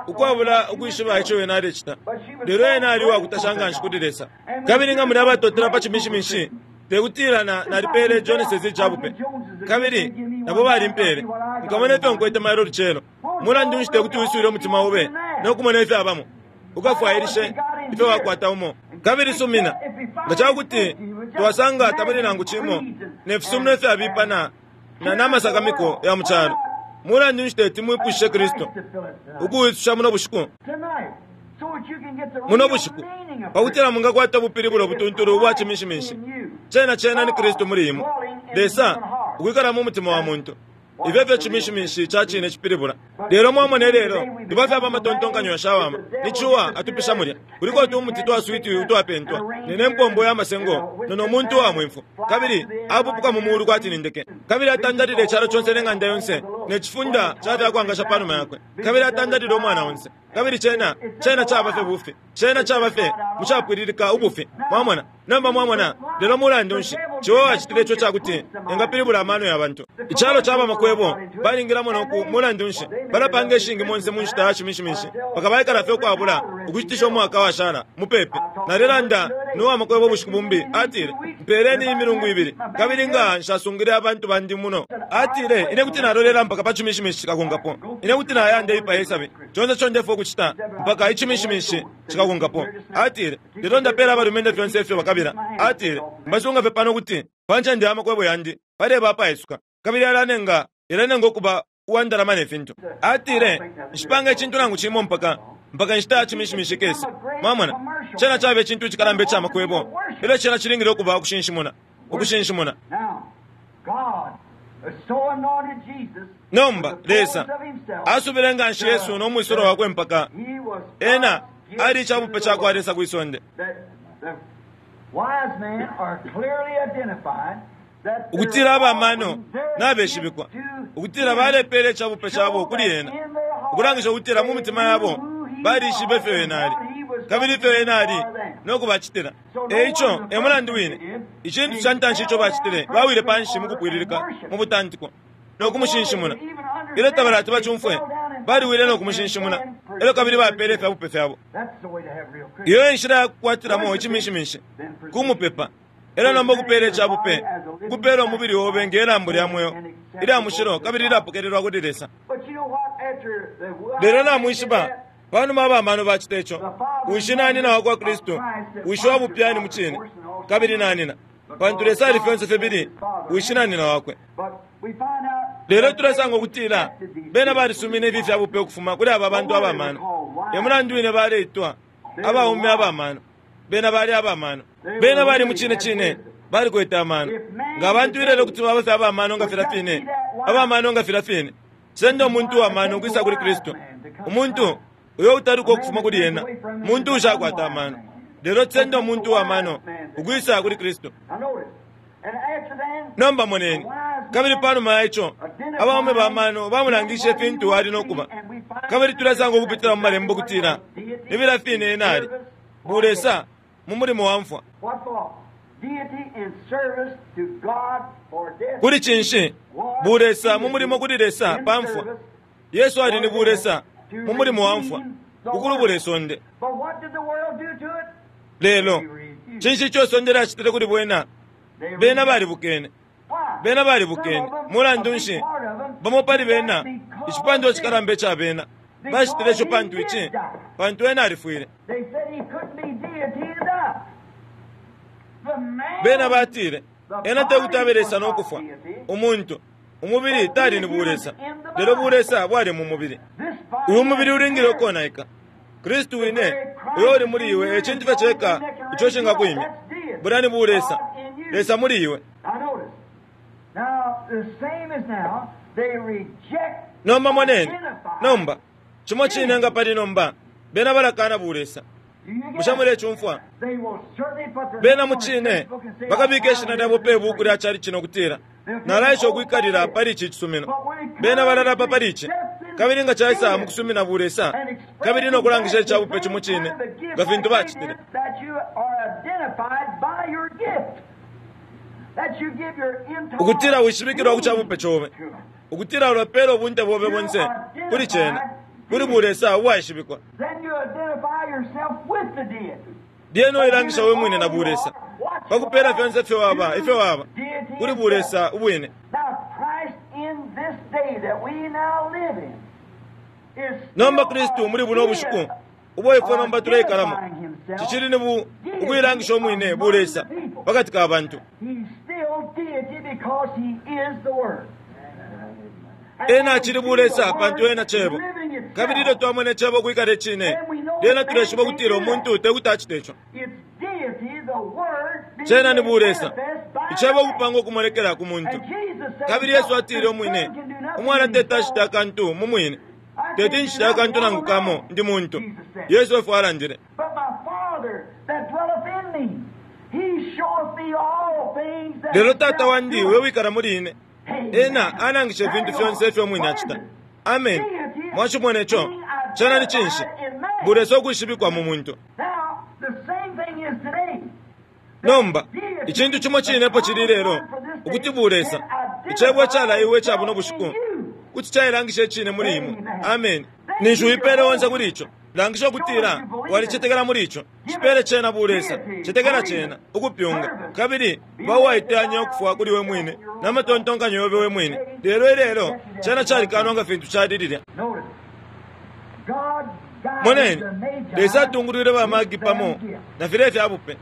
ukwabula ukwishiba ico ena alecita. Lelo ena ali uwakutasha nganshi kuli Lesa. Kabili nga muli abatotela pa cimishimishi, tekutila na nalipele Joneses icabupe, kabili nabo balimpele. Nkamona ifyo nkwete mailo lucelo. Mulandu nshi tekuti wiswile umutima obe nokumona ifyo abamo, ukafwailishe ifyo wakwata umo. Kabili sumina nga cakuti twasanga tabuli nangu cimo ne fisumino ifyabipa na na namasakamiko ya mucalo, mulandu nshi teti mwipushishe Kristu ukuwisusha muno bushiku, muno bushiku, pakutila mungakwata ubupilibulo butuntulu ubwa cimishimishi. Cena cena ni Kristu muli imwe, Lesa ukwikala mu mutima wa muntu. Ifyo fyo cimishimishi ca cine cipilibula. Lelo mwamone lelo liba fyaba amatontonkanyo yashawama ni cuwa atupisha mulya kuliko utumuti twa switi utwapentwa nene mpombo ya masengo nono muntu wa mwimfu, kabili apupuka mu muulu kwati ni ndeke, kabili atandalile icalo conse ne ng'anda yonse ne cifunda ca fyakwangasha panuma yakwe, kabili atandalile umwana onse. Kabili cena cena caba fye bufi, cena caba fye mucapwililika ubufi. Mwamona nomba, mwamona lelo mulandu nshi ciwa wacitile ico cakuti engapilibula amano ya bantu. Icalo caba makwebo balingilamo noku mulandu nshi balapanga ishingi monse mu nshita ya cimishimishi paka baikala fye ukwabula ukucitisha umwaka washala mupepi. Nalelanda nowa makwebo bushiku bumbi, atile mpeleni imilungu ibili kabili nga nshasungile abantu bandi muno. Atile ine kuti nalolela mpaka pa cimishimishi cikakonkapo, ine kuti nayanda ipaye isabi conse co ndefwa ukucita mpaka icimishimishi cikakonkapo. Atile lelo ndapela abalumendo fyonse ifyo bakabila. Atile mbasunga fye pano kuti pa ncende ya makwebo yandi paleba apaisuka, kabili alanenga ilanenga ukuba uwandalama ne fintu. Atile nshipanga icintu nangu cimo mpaka mpaka nshita ya cimishimishi kese. Mwamona cena caba icintu icikalamba ica makwebo, elyo cena cilingile ukuba ukushinshimuna, ukushinshimuna. Nomba Lesa asubile nganshi Yesu no mwisolo wakwe mpaka ena ali icabupe cakwa Lesa kwisonde. Ukutila abamano nabeshibikwa, ukutila balepele icabupe cabo kuli ena, ukulangisha ukutila mu mitima yabo balishibe ifyo ena ali kabili ifyo ena ali nokubacitila. Eico e mulandu wine icintu ca ntanshi ico bacitile, bawile panshi mukupwililika mu butantiko nokumushinshimuna. Ilyo tabalati bacumfwe, baliwile nokumushinshimuna, elyo kabili bapele ifyabupe fyabo. Iyo enshila yakukwatilamo icimishimishi, kumupepa. Elyo nomba ukupela icabupe, kupela umubili obe nge lambo lya mweo ilya mushilo kabili lilapokelelwa kuli Lesa. Lelo namwishiba panuma abamano bacita ico, wishi nanina wakwa Kristu, wishi wa bupyani mu cine, kabili nanina, pantu Lesa ali fyonse fibili wishi nanina wakwe. Lelo tulesanga ukutila bena balisumine ifi fyabupe ukufuma kuli aba bantu abamano. E mulandu wine baleitwa abaume abamano. Bena bali abamano, bena bali mu cine cine balikwete amano. Nga abantu ilelo kuti baba fye abamano nga filya fine, abamano nga filya fine, senda umuntu uwamano ukwisa kuli Kristu. Umuntu uyo utaluka ukufuma kuli ena muntu ushakwata amano. Lelo senda umuntu uwamano ukwisa kuli Kristu. Nomba moneni, kabili panuma ya ico abaume bamano bamulangishe ifintu ali nokuba. Kabili tulesanga ukupitila mu malembo kutila ni filya fine ena ali bulesa mu mulimo wa mfwa. Kuli cinshi? Bulesa mu mulimo kuli Lesa pa mfwa. Yesu ali ni bulesa mu mulimo wa mfwa ukulubula isonde. Lelo cinshi ico isonde lyacitile kuli bwena? Bena balibukene, bena balibukene. Mulandu nshi? Bamo pali bena, icipandwa cikalamba ica bena bacitile ico pantu ici, pantu ena alifwile. Bena batile ena tekuti abe Lesa nokufwa. Umuntu umubili tali ni bulesa, lelo bulesa bwali mu mubili. Uyu mubili ulingile ukonaika. Kristu wine uyo uli muli iwe e cintu fye ceka ico cingakwimya. Bulya ni bulesa, Lesa muli iwe. Nomba moneni, nomba cimo cine nga pali nomba bena balakana bulesa. Bushe mulecumfwa? Bena mu cine bakabika ishina lyabo pe buku lya cali cino kutila nalaisha ukwikalila pali ici cisumino. Bena balalapa pali ici, kabili nga caisa mukusumina bulesa kabili nokulangisha icabupe cimo cine nga fintu bacitile. Ukutila wishibikilwa ku cabupe cobe, ukutila ulapela ubunte bobe bonse kuli cena, Kuli bulesa ubwaishibikwa. Then you identify yourself with the deity. Lyena uilangisha we mwine na bulesa pakupela fyonse ifyo waba ifyo waba kuli bulesa ubwine. Now Christ in this day that we now live in is Nomba Kristu muli buno bushiku ubo ifwe nomba tuleikalamo cicili ni bu ukuilangisha umwine bulesa pakati ka bantu. He's still deity because he is the Word. Ena acili bulesa pantu ena cebo, kabili ilyo twamona icebo kwikala icine, lyena tuleshiba ukutila umuntu tekuti acite ico. It's deity, the Word, being Cena ni bulesa, manifest by icebo man. kupanga ukumonekela ku muntu. And Jesus said, Kabili Yesu atile umwine, "The Son can do nothing umwana teti himself." acita akantu mu mwine, teti nchita akantu nangu kamo ndi muntu. Yesu efo alandile. But my Father that dwelleth in me, he showeth me all things that Lelo tata shall wandi do. we wikala muli ine, ena alangisha ifintu fyonse ifyo umwine acita. Amen. Mwachimona ico cena ni cinshi? Bulesa ukwishibikwa mu muntu. Now, the same thing is today. Nomba icintu cimo cinepo cili lelo ukuti bulesa icebo calaiwe ca buno bushiku kuti cailangisha icine muli imwe. Amen. Ninshi uipele onse kuli ico, langisha ukutila walicetekela muli ico. Cipele cena bulesa, cetekela cena ukupyunga, kabili bauwaiteyanya ukufwa kuli we mwine na matontonkanyo yobe we mwine. Lelo ilelo cena calikanwa nga fintu cali lilya. Notice, God guided Moneni, the Magi Lesa atungulwile bamagi with pamo their gift. na filya ifya bupe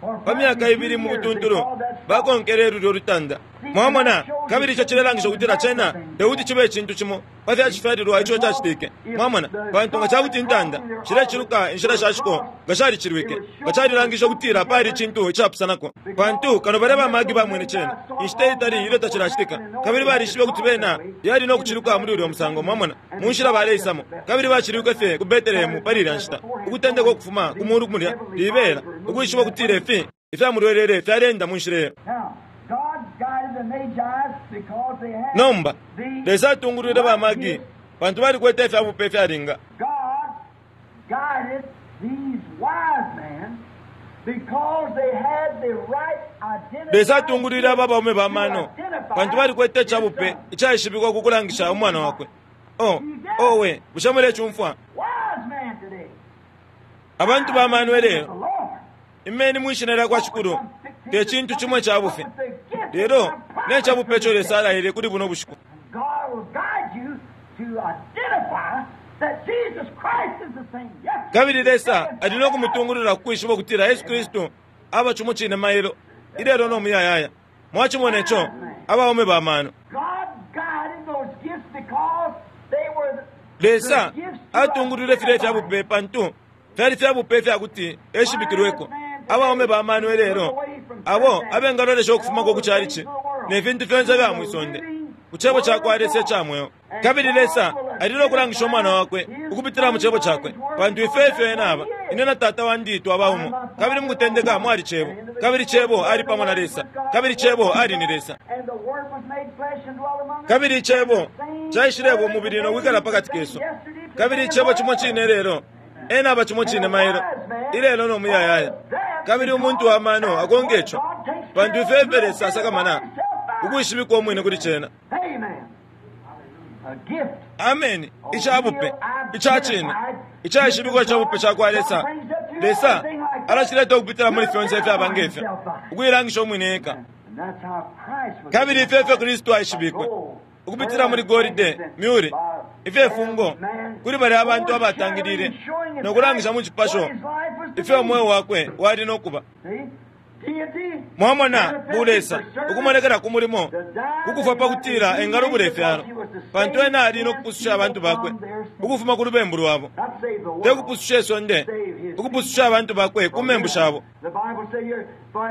For pa myaka ibili mu years they butuntulu called that star. bakonkele lulyo lutanda. Mwamona, kabili ico cilelangisha ukutila cena tekuti cibe icintu cimo pa fyacifyalilwa ico cacitike. Mwamona, pantu nga cakuti intanda shileciluka inshila shashiko nga shalicilwike, nga calilangisha ukutila pali icintu icapusanako, pantu kano balya bamagi bamwene cena inshita itali ilyo tacilacitika, kabili balishibe ukuti bena yali no kuciluka muli ulyo musango. Mwamona, mu nshila baleisamo, kabili bacilwike fye ku Betelehemu pali ilya nshita, ukutendeka ukufuma ku mulu mulya libela, ukwishiba ukutila ifi ifyamulwelele fyalenda mu nshila iyo. Now, God guided the Magi because they had Nomba the Lesa atungulwile bamagi pantu balikwete ifyabupe ifyalinga. God guided these wise men because they had the right identity. Lesa atungulwile aba baume bamano pantu balikwete icabupe icaishibikwa ku kulangisha umwana wakwe. Oh, owe, bushe mulecumfwa? Wise man today. Abantu bamano The ilelo, Lord. imeni mwishina lya kwa Shikulu te cintu cimo icabufe, lelo ne cabupe ico Lesa alaile kuli buno bushiku. God will guide you to identify that Jesus Christ is the same yesterday. Kabili Lesa ali no kumutungulula ku kwishiba ukutila Yesu Kristu aba cimo cine mailo ilelo no muyayaya. Mwacimona ico, abaume bamano. God guided those gifts because they were the Lesa the gifts to atungulwile filya identify ifyabupe pantu fyali fyabupe ifyakuti eshibikilweko. Abaume bamano ilelo abo abengalolesha ukufumako ku calici ne fintu fyonse fya mwisonde ku cebo ca kwa Lesa ica mweo. Kabili Lesa ali no kulangisha umwana wakwe ukupitila mu cebo cakwe, pantu ife ifyo ena aba ine na tata wandi twaba umo. Kabili mu kutendeka mwali cebo, kabili cebo ali pamo na Lesa, kabili cebo ali ni Lesa. And the Word was made flesh and dwelt among us. Kabili icebo caishileba umubili no kwikala pakati kesu. Kabili icebo cimo cine lelo ena aba cimo cine mailo ilelo no muyayaya. Kabili umuntu wa mano akonke ico, pantu ife ife Lesa asakamana ukwishibikwa umwine kuli cena. Amen. A gift. Ameni. Icabupe ica cine icaishibikwa icabupe ca kwa Lesa, Lesa alacileta ukupitila muli fyonse ifyaba ngefyo ukuilangisha umwine eka. And that's how Christ was Kabili ife ifyo Kristu aishibikwe ukupitila muli golide, myuri, ifyefungo kuli balya abantu abatangilile no kulangisha mu cipasho ifyo umweo wakwe wali no kuba. Mwamona bulesa ukumonekela ku mulimo kukufa pakutila engalubula ifyalo, pantu ena ali no kupususha abantu bakwe ukufuma ku lubembu lwabo, te kupususha isonde, ukupususha abantu bakwe ku membu shabo.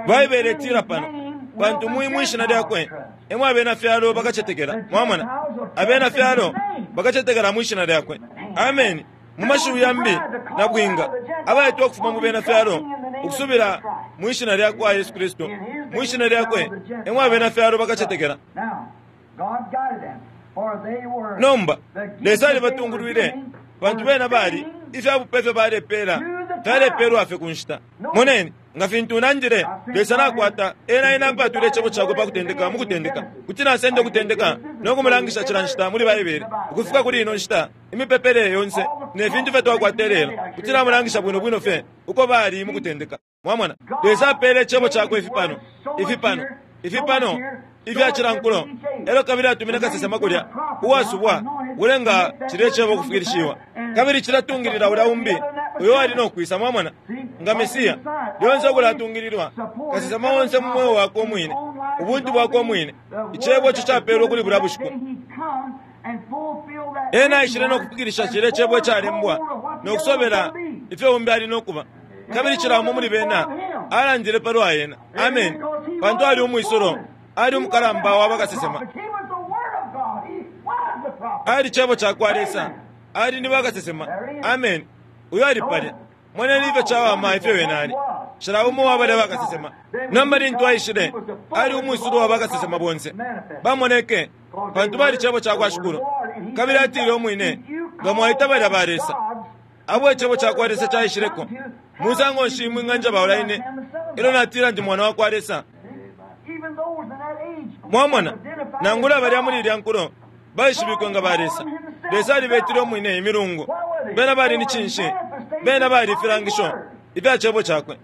Baibele itila pano, pantu mwi mwishina lyakwe emwe abena fyalo bakacetekela. Mwamona, abena fyalo bakacetekela mwishina lyakwe. Amen. Mu mashiwi yambi na bwinga abaitwa ukufuma mu bena fyalo ukusubila mwishina lyakwa Yesu Kristu, mwishina lyakwe emwe abena fyalo bakacetekela. Now, God guided them, for they were Nomba the gifts Lesa that they were alibatungulwile giving pantu were bena bali fitting ifyabupe ifyo balepela fyalepelwa fye ku nshita. Moneni, Nga fintu nandile, Lesa nakwata ena ena apatwile icebo cakwe pa kutendeka mu kutendeka. Kuti nasenda ukutendeka no kumulangisha cila nshita muli Baibele ukufika kuli ino nshita, imipepele yonse ne fintu fye twakwata lelo, kuti namulangisha bwino bwino fye uko bali mu kutendeka. Mwamona, Lesa apele icebo cakwe ifi pano, ifi pano, ifi pano ifya cilankulo, elo kabili atumine kasesema kulya uwasubwa ulenga cilye cebo kufikilishiwa, kabili cilatungilila ulya umbi uyo ali no kwisa. Mwamona, nga Mesiya lyonse ukulatungililwa kasesema onse mu mweo wakwe umwine, ubuntu bwakwe umwine, icebo ico capelwe kuli bulya bushiku. Ena aishile no kufikilisha cilye cebo icalembwa no kusobela ifyo umbi ali no kuba, kabili cila umo muli bena alandile palwa ena. Amen. Pantu ali umwisolo, ali umukalamba wa bakasesema, ali cebo cakwa Lesa, ali ni bakasesema. Amen. Uyo ali palya. Moneni ifyo cawama ifyo wena ali cila umo wa balya bakasesema. Nomba lintu aishile, ali umwisolo wa bakasesema bonse bamoneke, pantu bali cebo cakwa Shikulu. Kabili atile umwine, nga mwaita balya ba Lesa abo icebo cakwa Lesa caishileko, musango nshi mwinganja baula ine elo natila ndi mwana wakwa Lesa? Mwamona, nangula balya muli ilya nkulo baishibikwe nga ba Lesa. Lesa alibetile umwine imilungu. Bena bali ni cinshi? Bena bali ifilangisho ifya cebo cakwe.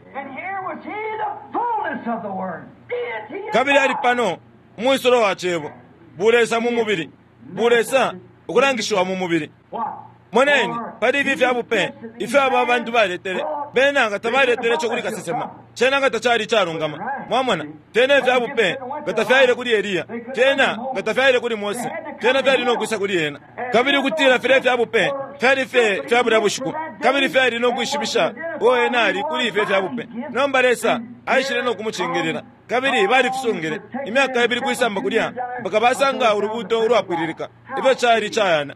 Kabili ali pano umwisolo wa cebo, bulesa mu mubili, bulesa ukulangishiwa mu mubili. Moneni, pali ifi fya bupe ifyo aba bantu baletele, bena nga tabaletele ico kuli kasesema, cena nga tacali icalungama. Mwamona, fyena ifya bupe nga tafyaile kuli Eliya, fyena nga tafyaile kuli Mose, fyena fyali no kwisa kuli ena. Kabili ukutila filya ifya bupe fyali fye fya bulya bushiku, kabili fyali no kwishibisha uo ena ali kuli ifyo ifya bupe. Nomba Lesa aishile no kumucingilila, kabili balifisungile imyaka ibili kwisamba kulya mpaka basanga ulubuto ulwapwililika. Ifyo cali cayana.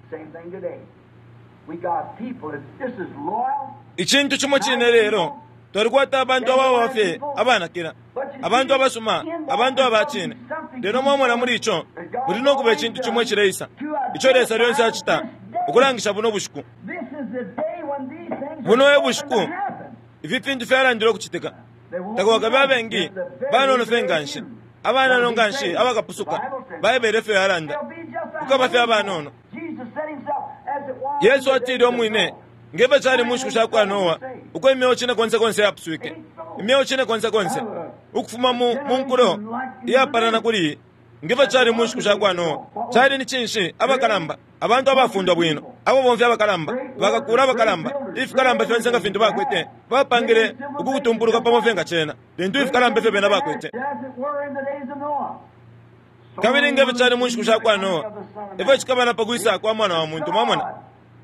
Icintu cimo cine lelo, twalikwata abantu abawa fye abanakila, abantu abasuma, abantu abacine. Lelo mwamona muli ico muli no kuba icintu cimo icileisa ico Lesa lyonse acita ukulangisha buno bushiku. Buno e bushiku ifi fintu fyalandile ukucitika. Takwakabe abengi banono fye nganshi, abanono nganshi abakapusuka. Baibele fyo yalanda, kukaba fye abanono. Yesu atile umwine, ngefyo cali mu nshiku shakwa Noa, uko imyeo cine konse konse yapuswike, imyeo cine konse konse ukufuma mu nkulo iyapalana kuli iyi, ngefyo cali mu nshiku shakwa Noa. Cali ni cinshi? Abakalamba, abantu abafundwa bwino, ababomfi abakalamba, bakakula abakalamba, ifikalamba fyonse nga fintu bakwete, bapangile ukukutumpuluka pamo fye nga cena, lintu ifikalamba ifyo bena bakwete. Kabili ngefyo cali mu nshiku shakwa Noa, ifyo cikaba na pakwisa kwa mwana wa muntu. Mwamona,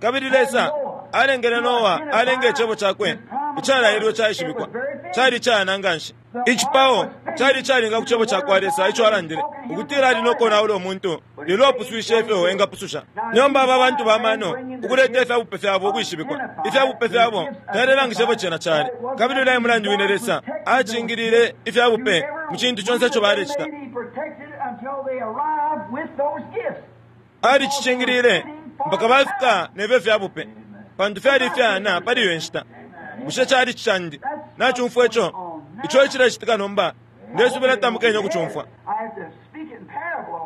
kabili Lesa alengele Noa alenge icebo cakwe icalailwe caishibikwa, cali cayana nganshi. Icipao cali calinga ku cebo cakwa Lesa ico alandile ukutila ali no konaula umuntu, lelo apuswishe ifyo engapususha. Nomba aba bantu bamano ukuleta ifya bupe fyabo ukwishibikwa, ifya bupe fyabo fyalelangisha ifyo cena cali. Kabili ulya mulandu wine Lesa acingilile ifya bupe mu cintu conse ico balecita. Alicicingilile mpaka bafika nefyo fya bupe, pantu fyali ifyana pali iyo nshita. Bushe cali cicandi? Nacumfwa ico ico icilecitika nomba. Ndesubila tamukenya ukucumfwa.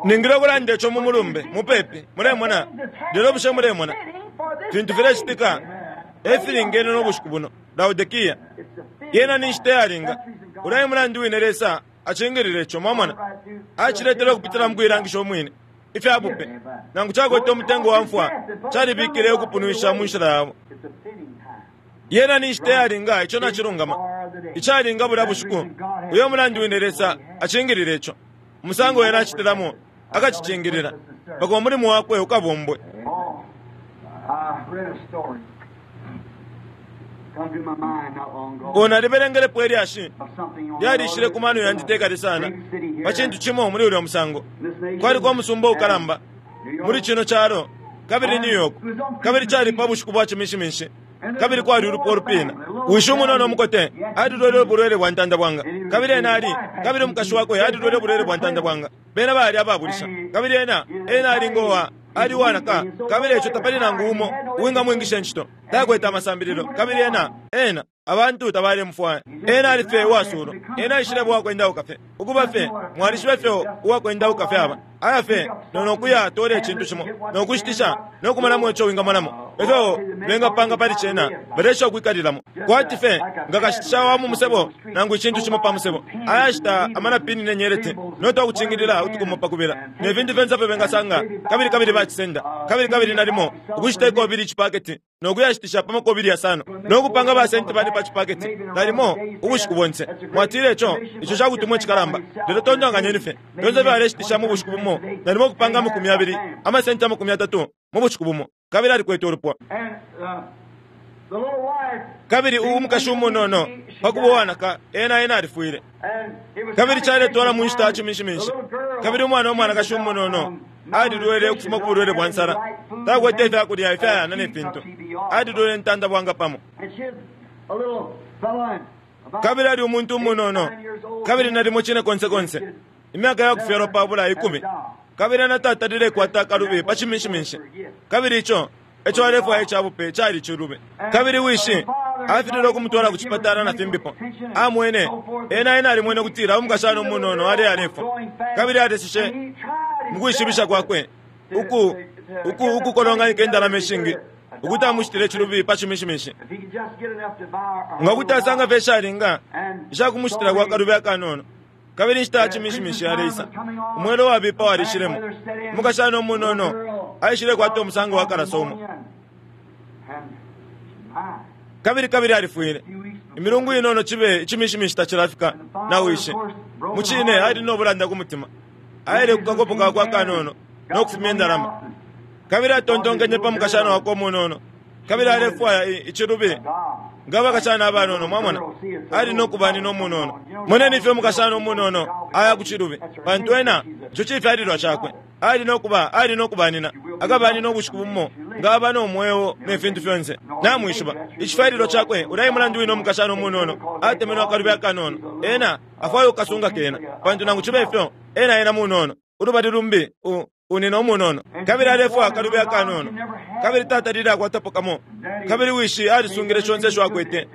Ningile ukulanda ico mu mulumbe mupepi, mulemona. Lelo bushe mulemona fintu filecitika efilingene no bushiku buno? Laodikia yena ni nshita yalinga. Ulya mulandu wine Lesa acingilile ico. Mwamona, aciletele ukupitila mu kuilangisha umwine ifya bupe, nangu cakwete umutengo wa mfwa, calibikile ukupunwisha mu nshila yabo. Yena ni nshita yalinga, ico nacilungama, icalinga bulya bushiku. Uyo mulandu wine Lesa acingilile ico. Umusango ena acitilamo akacicingilila mpaka umulimo wakwe ukabombwe. Ona libelengelepo ilyashi lyalishile ku mano yandi tekali sana pa cintu cimo muli ulya musango. Kwaliko umusumba ukalamba muli cino calo, kabili New York, kabili cali pa bushiku bwa cimishiminshi, kabili kwali ulupwa ulupina. Wishi umunono umukote alilwele ubulwele bwa ntanda bwanga, kabili ena ali, kabili umukashi wakwe alilwele ubulwele bwa ntanda bwanga. Bena bali ababulisha, kabili ena ena ali ngowa ali wanaka, kabili eco tapali nangu umo uwingamwingisha incito. Takwete amasambililo, kabili ena ena Abantu tabalemufwaya. Ena alife uwasulo. Ena aishile bwakwendauka fye. Ukuba fye, mwalishibe fye uwakwendauka fye aba. Aya fye, nonokuya tole icintu cimo, nokushitisha, nokumonamo ico wingamonamo. Efyo bengapanga pali cena, balesha ukwikalilamo. Kwati fye, nga kashitisha wa mu musebo, nangu icintu cimo pa musebo. Ayashita amanapini ne nyeleti, notwakucingilila utukumo pakubila. Ne fintu fyonse fye bengasanga, kabili kabili bacisenda. Kabili kabili nalimo, ukushita ikobili icipaketi, nokuyashitisha pa makobili yasano, nokupanga basenti bane pa cipaketi, nalimo ubushiku bonse. Mwatile ico, ico cakutumwa icikalamba. Lelo tontonkanyeni fye, fyonse fye aleshitisha mu bushiku bumo, nalimo kupanga amakumi abili, amasenti amakumi atatu mu bushiku bumo. Kabili alikwete ulupwa. Kabili uwu mukashi umunono pakuba uwanaka, ena ena alifwile. Kabili caletwala mu nshita ya ciminshiminshi. Kabili umwana w'umwanakashi umunono alilwele ukufuma ku bulwele bwa nsala. Takwete ifyakulya ifyayana ne fintu. Alilwele ntanda bwanga pamo. Kabili ali umuntu umunono. Kabili nalimo cine konse konse. Imyaka ya kufyalwa pabula ikumi. Kabili anatatalile kwata akalubi pa ciminshiminshi. Kabili ico eco alefwaya icabupe cali cilube. Kabili wishi afilile ukumutwala ku cipatala na fimbipo. Amwene, ena ena alimwene ukutila umukashana umunono ali alefwa. Kabili aleseshe mu kwishibisha kwakwe uku uku ukukolonganika indalama ishingi ukuti amushitile cilubi pa ciminshiminshi. Nga kuti asanga fye ishalinga ishakumushitila kwa kalubi akanono. Kabili inshita ya ciminshiminshi yaleisa. Umwelo wabipa walishilemo. Umukashana umunono aishile kwata umusango wa kalaso umo. Kabili kabili alifwile. Imilungu inono chibe iciminshiminshi tacilafika na wishi. Mucine ali nobulanda ku mutima. Aile kukakopo kakwe akanono nokufumya indalama. Kabili atontonkenye pa mukashana wakwe umunono. Kabili alefwaya icilubi nga bakashana abanono, mwamona. Ali nokubani nomunono. Moneni ifyo umukashana umunono aya ku cilubi. Pantu ena ico cifyalilwa cakwe. Ali nokuba, ali nokubanina. Akabanina ubushiku bumo nga aba nomweo ne fintu fyonse. Namwishiba icifyalilwa cakwe ulayi mulandu wino umukashana umunono atemenwe akalubi akanono. Ena afwaya ukukasunga kena. Pantu nangu cibe ifyo ena ena munono. Ulubali lumbi unina umunono. Kabili alefwaya akalubi akanono. Kabili tata lile akwatapo kamo. Kabili wishi alisungile shonse isho akwete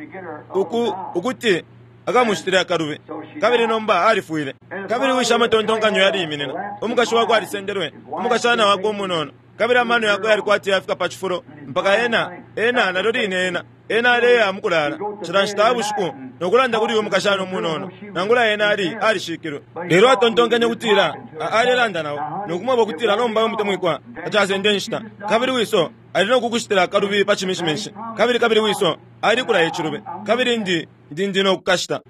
uku ukuti akamushitile akalubi. Kabili nomba alifwile. Kabili wishi amatontonkanyo yaliyiminina. Umukashi wakwe alisendelwe. Umukashana wakwe umunono. Kabili amano yakwe yalikwati yafika pa cifulo mpaka ena ena nalyo line ena ena aleya mukulala cila nshita bushiku nokulanda kuli uyu mukashana umunono nangula ena ali alishikilwe. Lelo atontonkenye kutila alelanda nawo nokumweba kutila nomba umutemwikwa acasende nshita. Kabili wiso ali nokukushitila akalubi pa ciminshiminshi. Kabili kabili wiso ali kulaya icilubi. Kabili ndi ndi ndi nokukashita.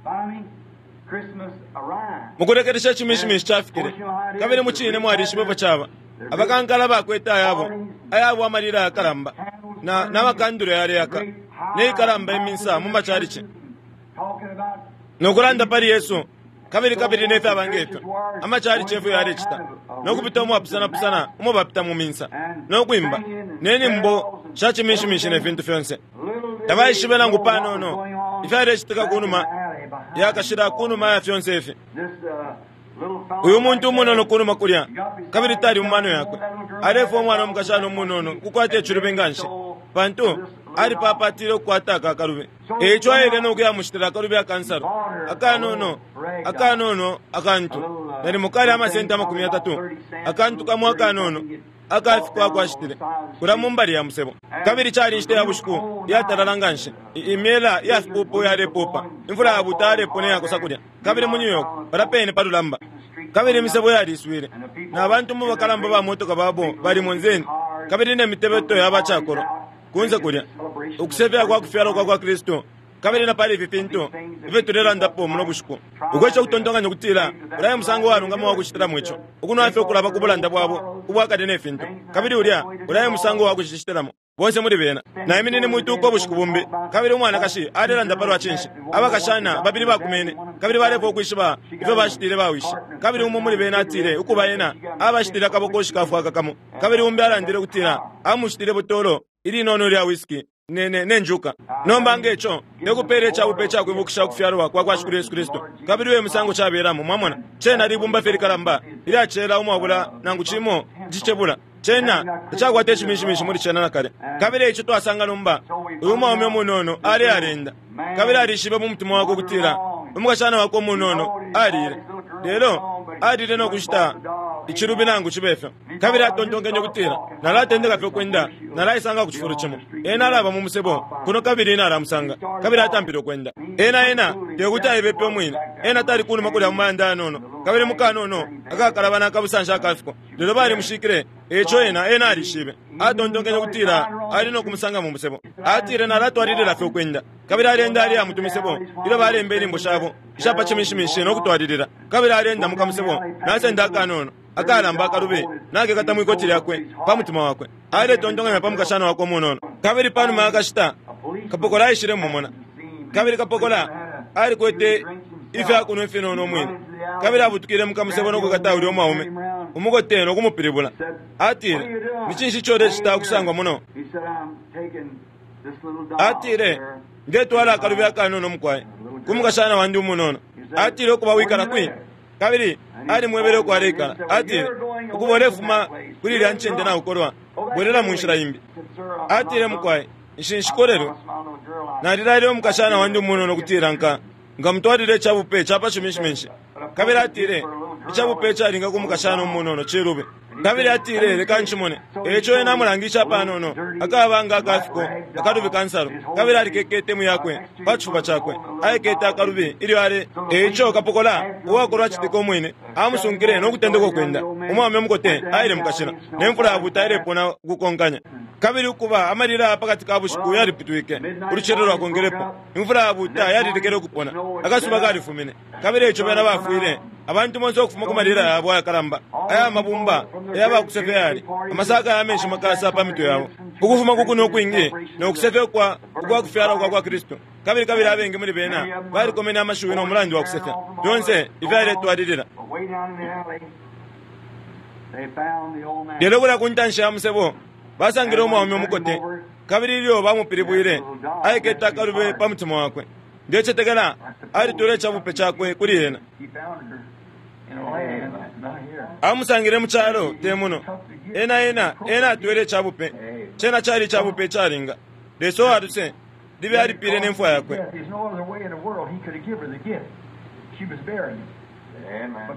Mukulekelesha iciminshiminshi cafikile. Kabili mucine mwalishibepo caba. Abakankala bakwete ayabo ayabo amalila yakalamba na n'amakandulo yaleyaka neikalamba iminsa mu macalici nokulanda pali Yesu. Kabili kabili nefyo abangefyo amacalici efyo yalecita nokupita umwapusanapusana umo bapita mu minsa nokwimba nenimbo sha ciminshiminshi ne fintu fyonse. Tabaishibe nangu panono ifyalecitika kunuma yakashila kunuma ya fyonse ifi. Uyu muntu umunono kunuma kulya kabili tali mu mano yakwe. Alefwa umwana umukashana umunono kukwata icilubi nganshi pantu alipapatile ukukwata aka akalubi. Eico aile nokuyamushitila akalubi akansalo akanono akanono akantu nalimo kali amasenti amakumi atatu akantu kamo akanono akafikwa akwashitile kula mumbali ya musebo. Kabili cali inshita ya bushiku yatalala nganshi. Imyela yafipupu yalepupa, imfula yabuta yalepona yakosa kulya. Kabili mu New York palapene palulamba. Kabili imisebo yaliswile na bantu mu bakalamba ba motoka babo bali munzeni. Kabili ne mitebeto yabacakolo kunze kulya ukusefya kwa kufyalwa kwa kwa Kristu. Kabili na pali ifi fintu ifyo tulelandapo muno bushiku ukwesha kutontonkanya kutila ulaye musango walungama wakucitilamo ico ukunwafye ukulaba ku bulanda bwabo ubwakale ne fintu. Kabili ulya ulaye musango wakucicitilamo bonse muli bena. Naiminine mwituka ubushiku bumbi. Kabili umwanakashi alelanda palwa cinshi abakashana babili bakumene. Kabili balefwa ukwishiba ifyo bashitile bawishi. Kabili umo muli bena atile ukuba ena abashitile akabokoshi kafwaka kamo. Kabili umbi alandile kutila amushitile butolo ilinono lya whisky ne ne nenjuka. Nomba ngeco nekupela icabupe icakwibukisha ukufyalwa kwa kwa Shikulu Yesu Kristu. Kabili uyo musango cabelamo mwamona cena libumba fye likalamba ilyacela umwabula nangu cimo cicebula. Cena tacakwata icimishimishi muli cena nakale. Kabili ico twasanga nomba, uyu mwaume umunono ali alenda, kabili alishibe mu mutima wakwe ukutila umukashana wakwe umunono alile, lelo alile no kushita icilubi nangu cibe fyo. Kabili atontonkenye ukutila nalatendeka fye ukwenda, nalaisanga ku cifulo cimo. Ena alaba mu musebo kuno kabili ena alamusanga, kabili atampile ukwenda. Ena ena tekuti aibepe umwine, ena tali kunuma kulya mu mayanda yanono, kabili mukanono akakalabana akabusanshi akafiko, lelo balimushikile. Eco ena ena alishibe, atontonkenye ukutila ali no kumusanga mu musebo. Atile nalatwalilila fye ukwenda, kabili alenda aliya mu tumisebo ilyo balemba inyimbo shabo ishapa cimishimishi no kutwalilila. Kabili alenda mu kamusebo nasenda akanono akalamba akalubi nakekata mwikoti lyakwe pa mutima wakwe, aletontonkanya pa mukashana wakwe umunono. Kabili panuma akashita kapokola aishile mumona, kabili kapokola alikwete ifyakunwa ifinono umwine, kabili abutukile mukamusebo no kukata ulya umwaume umukote no kumupilibula. Atile, ni cinshi ico ulecita kusangwa muno? Atile, ndetwala akalubi akanono mukwaye ku mukashana wandi umunono. Atile, ukuba wikala kwi? Kabili alimwebele uko aleikala. Atile, ukuba ulefuma kuli ilya ncende naukolwa, bwelela mu nshila imbi. Atile, mukwaye, nshinshikolelwe nalilaile umukashana wandi umunono ukutila nka ngamutwalile icabupe capa cimishimishi. Kabili atile, icabupe calinga ku mukashana umunono cilube. Kabili atile, leka nchimone. Eco ena amulangisha panono akabanga akafiko akalubi kansalo, kabili alikekete mu yakwe pa cifuba cakwe, aikete akalubi ilyo ale. Eco kapokola uwakolwa citika umwine amusunkile no kutendeka ukwenda. Umwaume umukote aile mukashila, ne mfula yabuta ilepona ukukonkanya. Kabili ukuba amalila pakati ka bushiku yaliputwike, ulucelo lwakongelepo, imfula yabuta yalilekele ukupona, akasuba kalifumine. Kabili eco bena bafwile abantu bonse ukufuma ku malila yabo ayakalamba aya mabumba ayabakusefya yali amasaka ya menshi makasa pa mitwe yabo, ukufuma kukuno ukwingi no kusefya kwa ukwa kufyala kwa kwa Kristu. Kabili kabili abengi muli bena balikomene amashiwi no mulandu wa kusefya fyonse ifyaletwalilila. Lelo kulya ku ntanshi ya musebo basangile umwaume umukote, kabili ilyo bamupilibwile aikete akalube pa mutima wakwe. Ndecetekela alitwele icabupe cakwe kuli ena. Amusangile mu calo te muno. Ena ena ena atwele icabupe, cena cali icabupe icalinga. Lesa uwaluse libe alipile ne mfwa yakwe.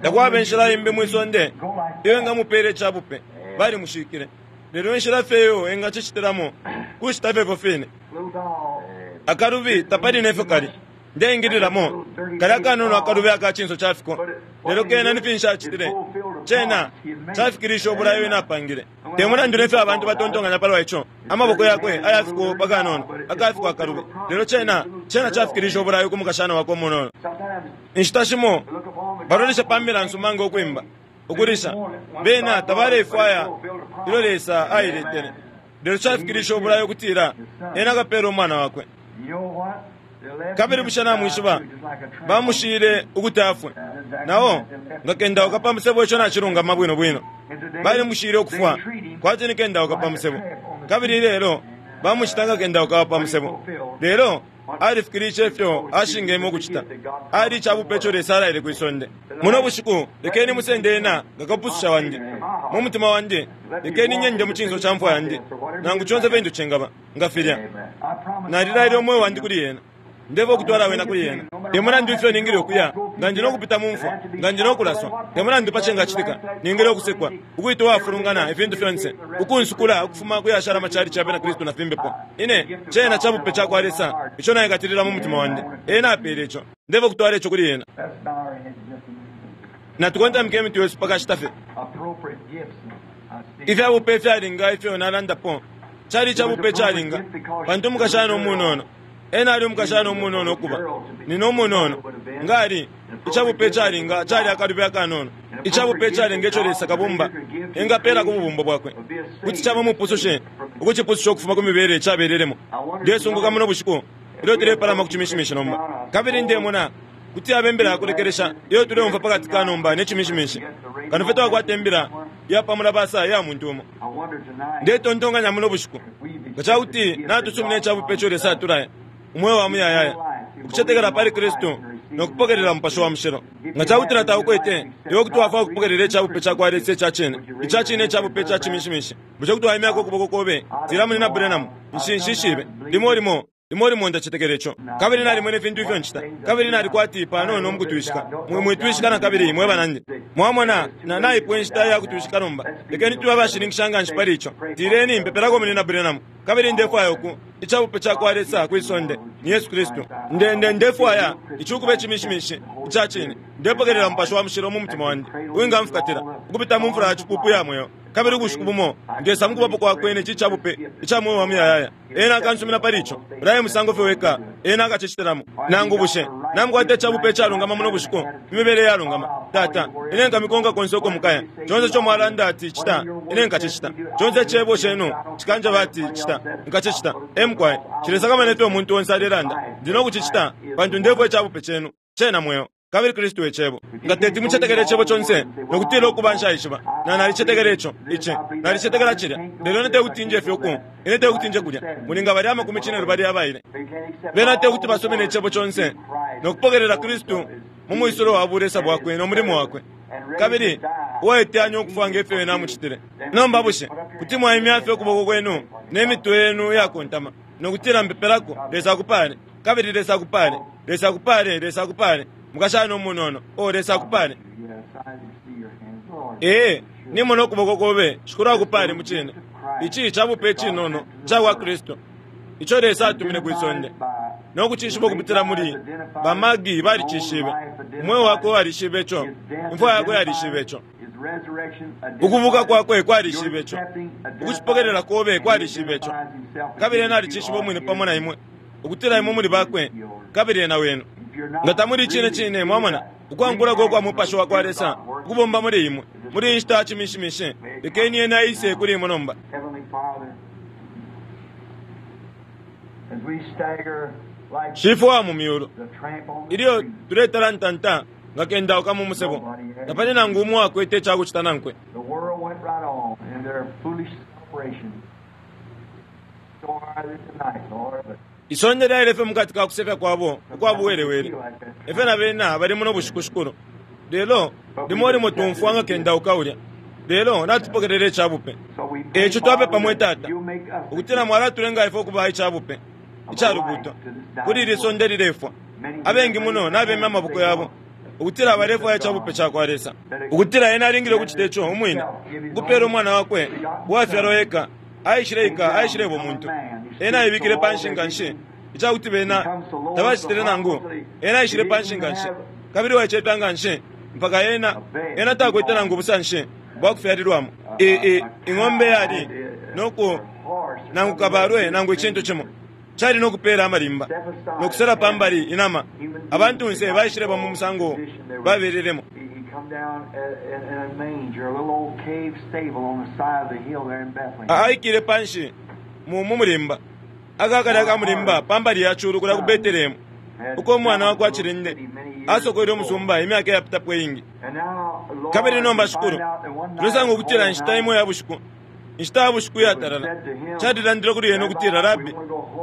Takwaba inshila imbi mwisonde iyo engamupela icabupe, balimushikile. Lelo inshila fye iyo engacicitilamo kucita fye fine. Akalubi tapali nefyo kali ndeingililamo kali akanono akalubi aka cinso cafiko, lelo kena ni finshi acitile? Cena cafikilisha obulayo ena apangile. Te mulandu nefyo abantu batontonkanya palwa ico, amaboko yakwe ayafiko pakanono akafiko akalubi, lelo cena cena cafikilisha obulayo ku mukashana wakwe umunono. Inshita shimo balolesha pa mbila nsuma nga ukwimba ukulisha, bena tabalefwaya ilyo Lesa ailetele, lelo cafikilisha obulayo ukutila ena akapela umwana wakwe. Kabili bushe namwishiba bamushile ukuti afwe, nao ngakendauka pa musebo ico nacilungama bwino bwino. Balimushile ukufwa kwati nikendauka pa musebo, kabili lelo bamucita ngakendauka pa musebo. Lelo alifikilishe ifyo ashingeme ukucita, ali icabupe ico Lesa alaile kwisonde. Muno bushiku lekeni musende ena ngakapususha wandi mu mutima wandi, lekeni nyende mu cinso ca mfwa yandi, nangu conse fintu cingaba nga filya. Nalilaile umweo wandi kuli ena, ndeva okutwala wena kuli ena. Te mulandu ifyo ningile ukuya, nga ndi nokupita mu mfwa, nga ndi nokulaswa, te mulandu pa cingacitika, ningile ukusekwa, ukwita uwafulungana ifintu fyonse, ukunsukula ukufuma kuyashala amachalichi ya bena Kristu na fimbepo. Ine cena cabupe cakwa Lesa ico naikatilila mu mutima wandi. Ena apele ico, ndeva okutwala ico kuli ena. Natukontamike emitwe yesu pakashita fye. Ifyabupe ifyalinga ifyo nalandapo cali icabupe icalinga, pantu umukashana umunono ena ali umukashana umunono ukuba nina umunono ngali icabupe icalinga cali akalubi akanono. Icabupe icalinga ico Lesa kabumba engapela ku bubumbo bwakwe kuti caba mupusushe ukucipususha ukufuma ku mibele cabelelemo. Ndesunguka muno bushiku ilyo tulepalama ku cimishimishi nomba, kabili ndemona kuti abe imbila yakulekelesha iyo tuleumva pakati ka nomba ne cimishimishi, kano fye twakwata imbila ya pamulabasa ya muntu umo. Ndetontonkanya muno bushiku nga cakuti natusumina icabupe ico Lesa atulaya, umweo wa muyayaya, ukucetekela pali Kristu Nokupokelela Mupashi wa Mushilo. Nga cakutila taukwete, iwe kuti wafwaya ukupokelela icabupe cakwa Lesa ica cine. Ica cine icabupe ica cimishimishi. Bushe kuti waimyako ukuboko kobe? Tila Munina Branham, nshi nshishibe. Limo limo limo limo ndacetekela ico. Kabili nalimwene ifintu ifyo ncita. Kabili nalikwati panono mukutwishika. Mwe mwitwishika na kabili mwe banandi. Mwamona, na naipwa inshita ya kutwishika nomba. Lekeni tube abashininkisha nga nshi pali ico. Tileni mpepelako Munina Branham. Kabili ndefwaya uku icabupe cakwa Lesa kwi sonde ni Yesu Kristu. Nde nde ndefwaya ici ukuba icimishimishi ica cine. Ndepokelela Mupashi wa Mushilo mu mutima wandi uwingamfukatila ukupita mu mfula ya cipupu ya mweo. Kabili ubushiku bumo ndesa mukubapo kwakwe ne ci cabupe ica mweo wa muyayaya. Ena akansumina pali ico. Ulaye musango fye weka ena akacicitilamo. Nangu bushe namukwata icabupe icalungama muno bushiku, imibele iyalungama. Tata, ine nkamikonka konse uko mukaya. Conse ico mwalanda ati cita, ine nkacicita. Conse icebo cenu cikanjeba ati cita, nkacicita. Emukwaye cilesakamana ifyo umuntu onse alelanda. Ndi nokucicita pantu ndefwaya icabupe cenu cena mweo. Kabili Kristu e cebo. Nga teti mucetekele icebo conse nokutila ukuba nshaishiba. Na nalicetekela ico, ici, nalicetekela cilya. Lelo ine tekuti nje fye uku, ine tekuti nje kulya. Muli nga bali amakumi cine lubali abaile. Bena tekuti basomene icebo conse nokupokelela Kristu mu mwisulo wa bulesa bwakwe no mulimo wakwe. Kabili uwaiteyanya ukufwa nge fyo ena amucitile. Nomba bushe kuti mwaimya fye ukuboko kwenu ne mitwe yenu iyakontama nokutila mpepelako Lesa akupale, kabili Lesa akupale, Lesa akupale, Lesa akupale. Mukashana umunono, o Lesa akupale. Ee, nimona ukuboko kobe, Shikulu akupale mucine. Ici cabupe icinono cakwa Kristu ico Lesa atumine kwi sonde nokucishiba ukupitila muli bamagi balicishibe. Umweo wakwe walishibe ico, imfwa yakwe yalishibe ico, ukubuka kwakwe kwalishibe ico, ukucipokelela kobe kwalishibe ico. Kabili ena alicishiba umwine pamo na imwe ukutila imwe muli bakwe kabili ena wenu. Nga tamuli cine cine mwamona ukwankulako kwa Mupashi wa kwa Lesa ukubomba muli imwe muli inshita ya cimishimishi. Lekeni ena aise kuli imwe nomba. Shifwe wa mu myulu, ilyo tuletalantanta nga kendauka mu musebo, tapali nangu umo akwete icakucita nankwe. Isonde lyaile fye mukati ka kusefya kwabo ukwa buwelewele. Efyo na bena bali muno bushiku shikulu. Lelo limo limo tumfwa nga kendauka ulya. Lelo natupokelela icabupe. Eco twapepa mwe Tata ukutila mwalatulenga ifwe ukuba icabupe icalubuto kuli ili sonde lilefwa. Abengi muno nabemya amaboko yabo ukutila balefwaya icabupe cakwa Lesa. Ukutila ena alingile ukucita ico umwine, ukupela umwana wakwe uwafyalwa eka. Aishile ika, aishileba umuntu. Ena aibikile panshi nga nshi icakuti bena tabacitile nangu. Ena aishile panshi nga nshi kabili waicefya nga nshi mpaka ena ena takwete nangu ubusanshi bwakufyalilwamo. Ing'ombe yali noku nangu kabalwe nangu icintu cimo cali nokupela amalimba nokusela pambali inama. Abantunse baishileba mu musango babelelemo. Aikile panshi mu mulimba akakali akamulimba pambali ya culu kulya ku Betelehemu uko umwana wakwa cilinde asokwele umusumba imyaka iyapitapo iingi. Kabili nomba Shikulu, tulesanga ukutila inshita imo ya bushiku, inshita ya bushiku iyatalala, calilandile kuli yena ukutila, Rabi,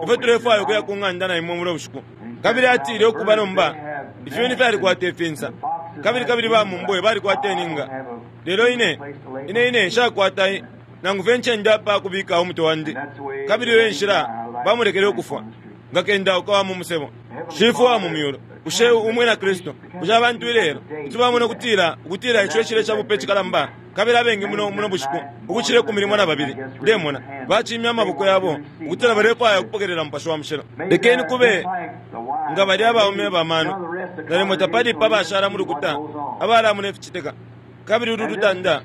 ifwe tulefwaya ukuya ku ng'anda na imwe muno bushiku. Kabili atile ukuba nomba ifyuni fyalikwata ifinsa, kabili kabili bamumbwe balikwata ininga. Lelo ine ine ine nshakwata nangu fye ncende apa kubika umutwe wandi. Kabili iyo nshila bamulekele ukufwa nga kendauka wa mu musebo. Shifwe wa mu myulu, bushe umwina Kristu, bushe abantu ilelo kuti bamona ukutila ukutila ico ecile cabupe cikalamba? Kabili abengi muno muno bushiku ukucile ikumi limo na babili ndemona bacimya amaboko yabo ukutila balefwaya ukupokelela Mupashi wa Mushilo. Lekeni kube nga bali abaume bamano nalimo tapali pa bashala mu lukuta abalamona ificitika. Kabili ulu lutanda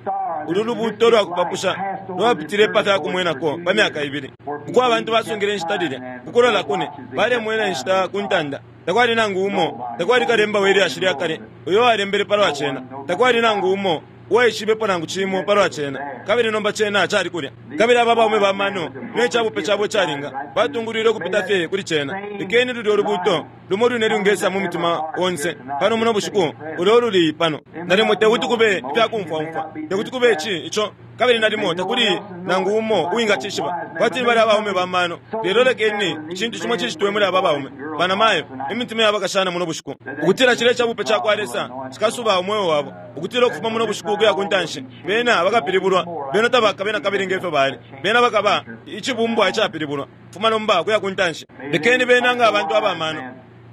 ulu lubuto lwakupapusha lwapitile pa fyakumwenako pa myaka ibili uko abantu basungile inshita lilya ukulola kune balemwena inshita ku ntanda. Takwali nangu umo, takwali kalemba we lyashi lya kale uyo walembele palwa cena. Takwali nangu umo uwaishibepo nangu cimo palwa cena. Kabili nomba cena cali kulya. Kabili aba baume bamano ne cabupe cabo calinga batungulwile ukupita fye kuli cena. Lekeni lulya ulubuto lumo lwine lwingesa mu mutima onse pano muno bushiku ulo luli pano. Nalimo tekuti kube ifyakumfwaumfwa, tekuti kube ici ico, Kabili nalimo takuli nangu umo uwingacishiba, kwati ni bali abaume bamano. Lelo lekeni icintu cimo cicitwe muli aba baume banamayo, imitima yabakashana muno bushiku, ukutila cile cabupe cakwa Lesa cikasuba umweo wabo, ukutila ukufuma muno bushiku ukuya ku ntanshi bena bakapilibulwa. Bena tabakabe na kabili ngefyo bali, bena bakaba icibumbwa icapilibulwa fuma nomba kuya ku ntanshi. Lekeni bena nga abantu abamano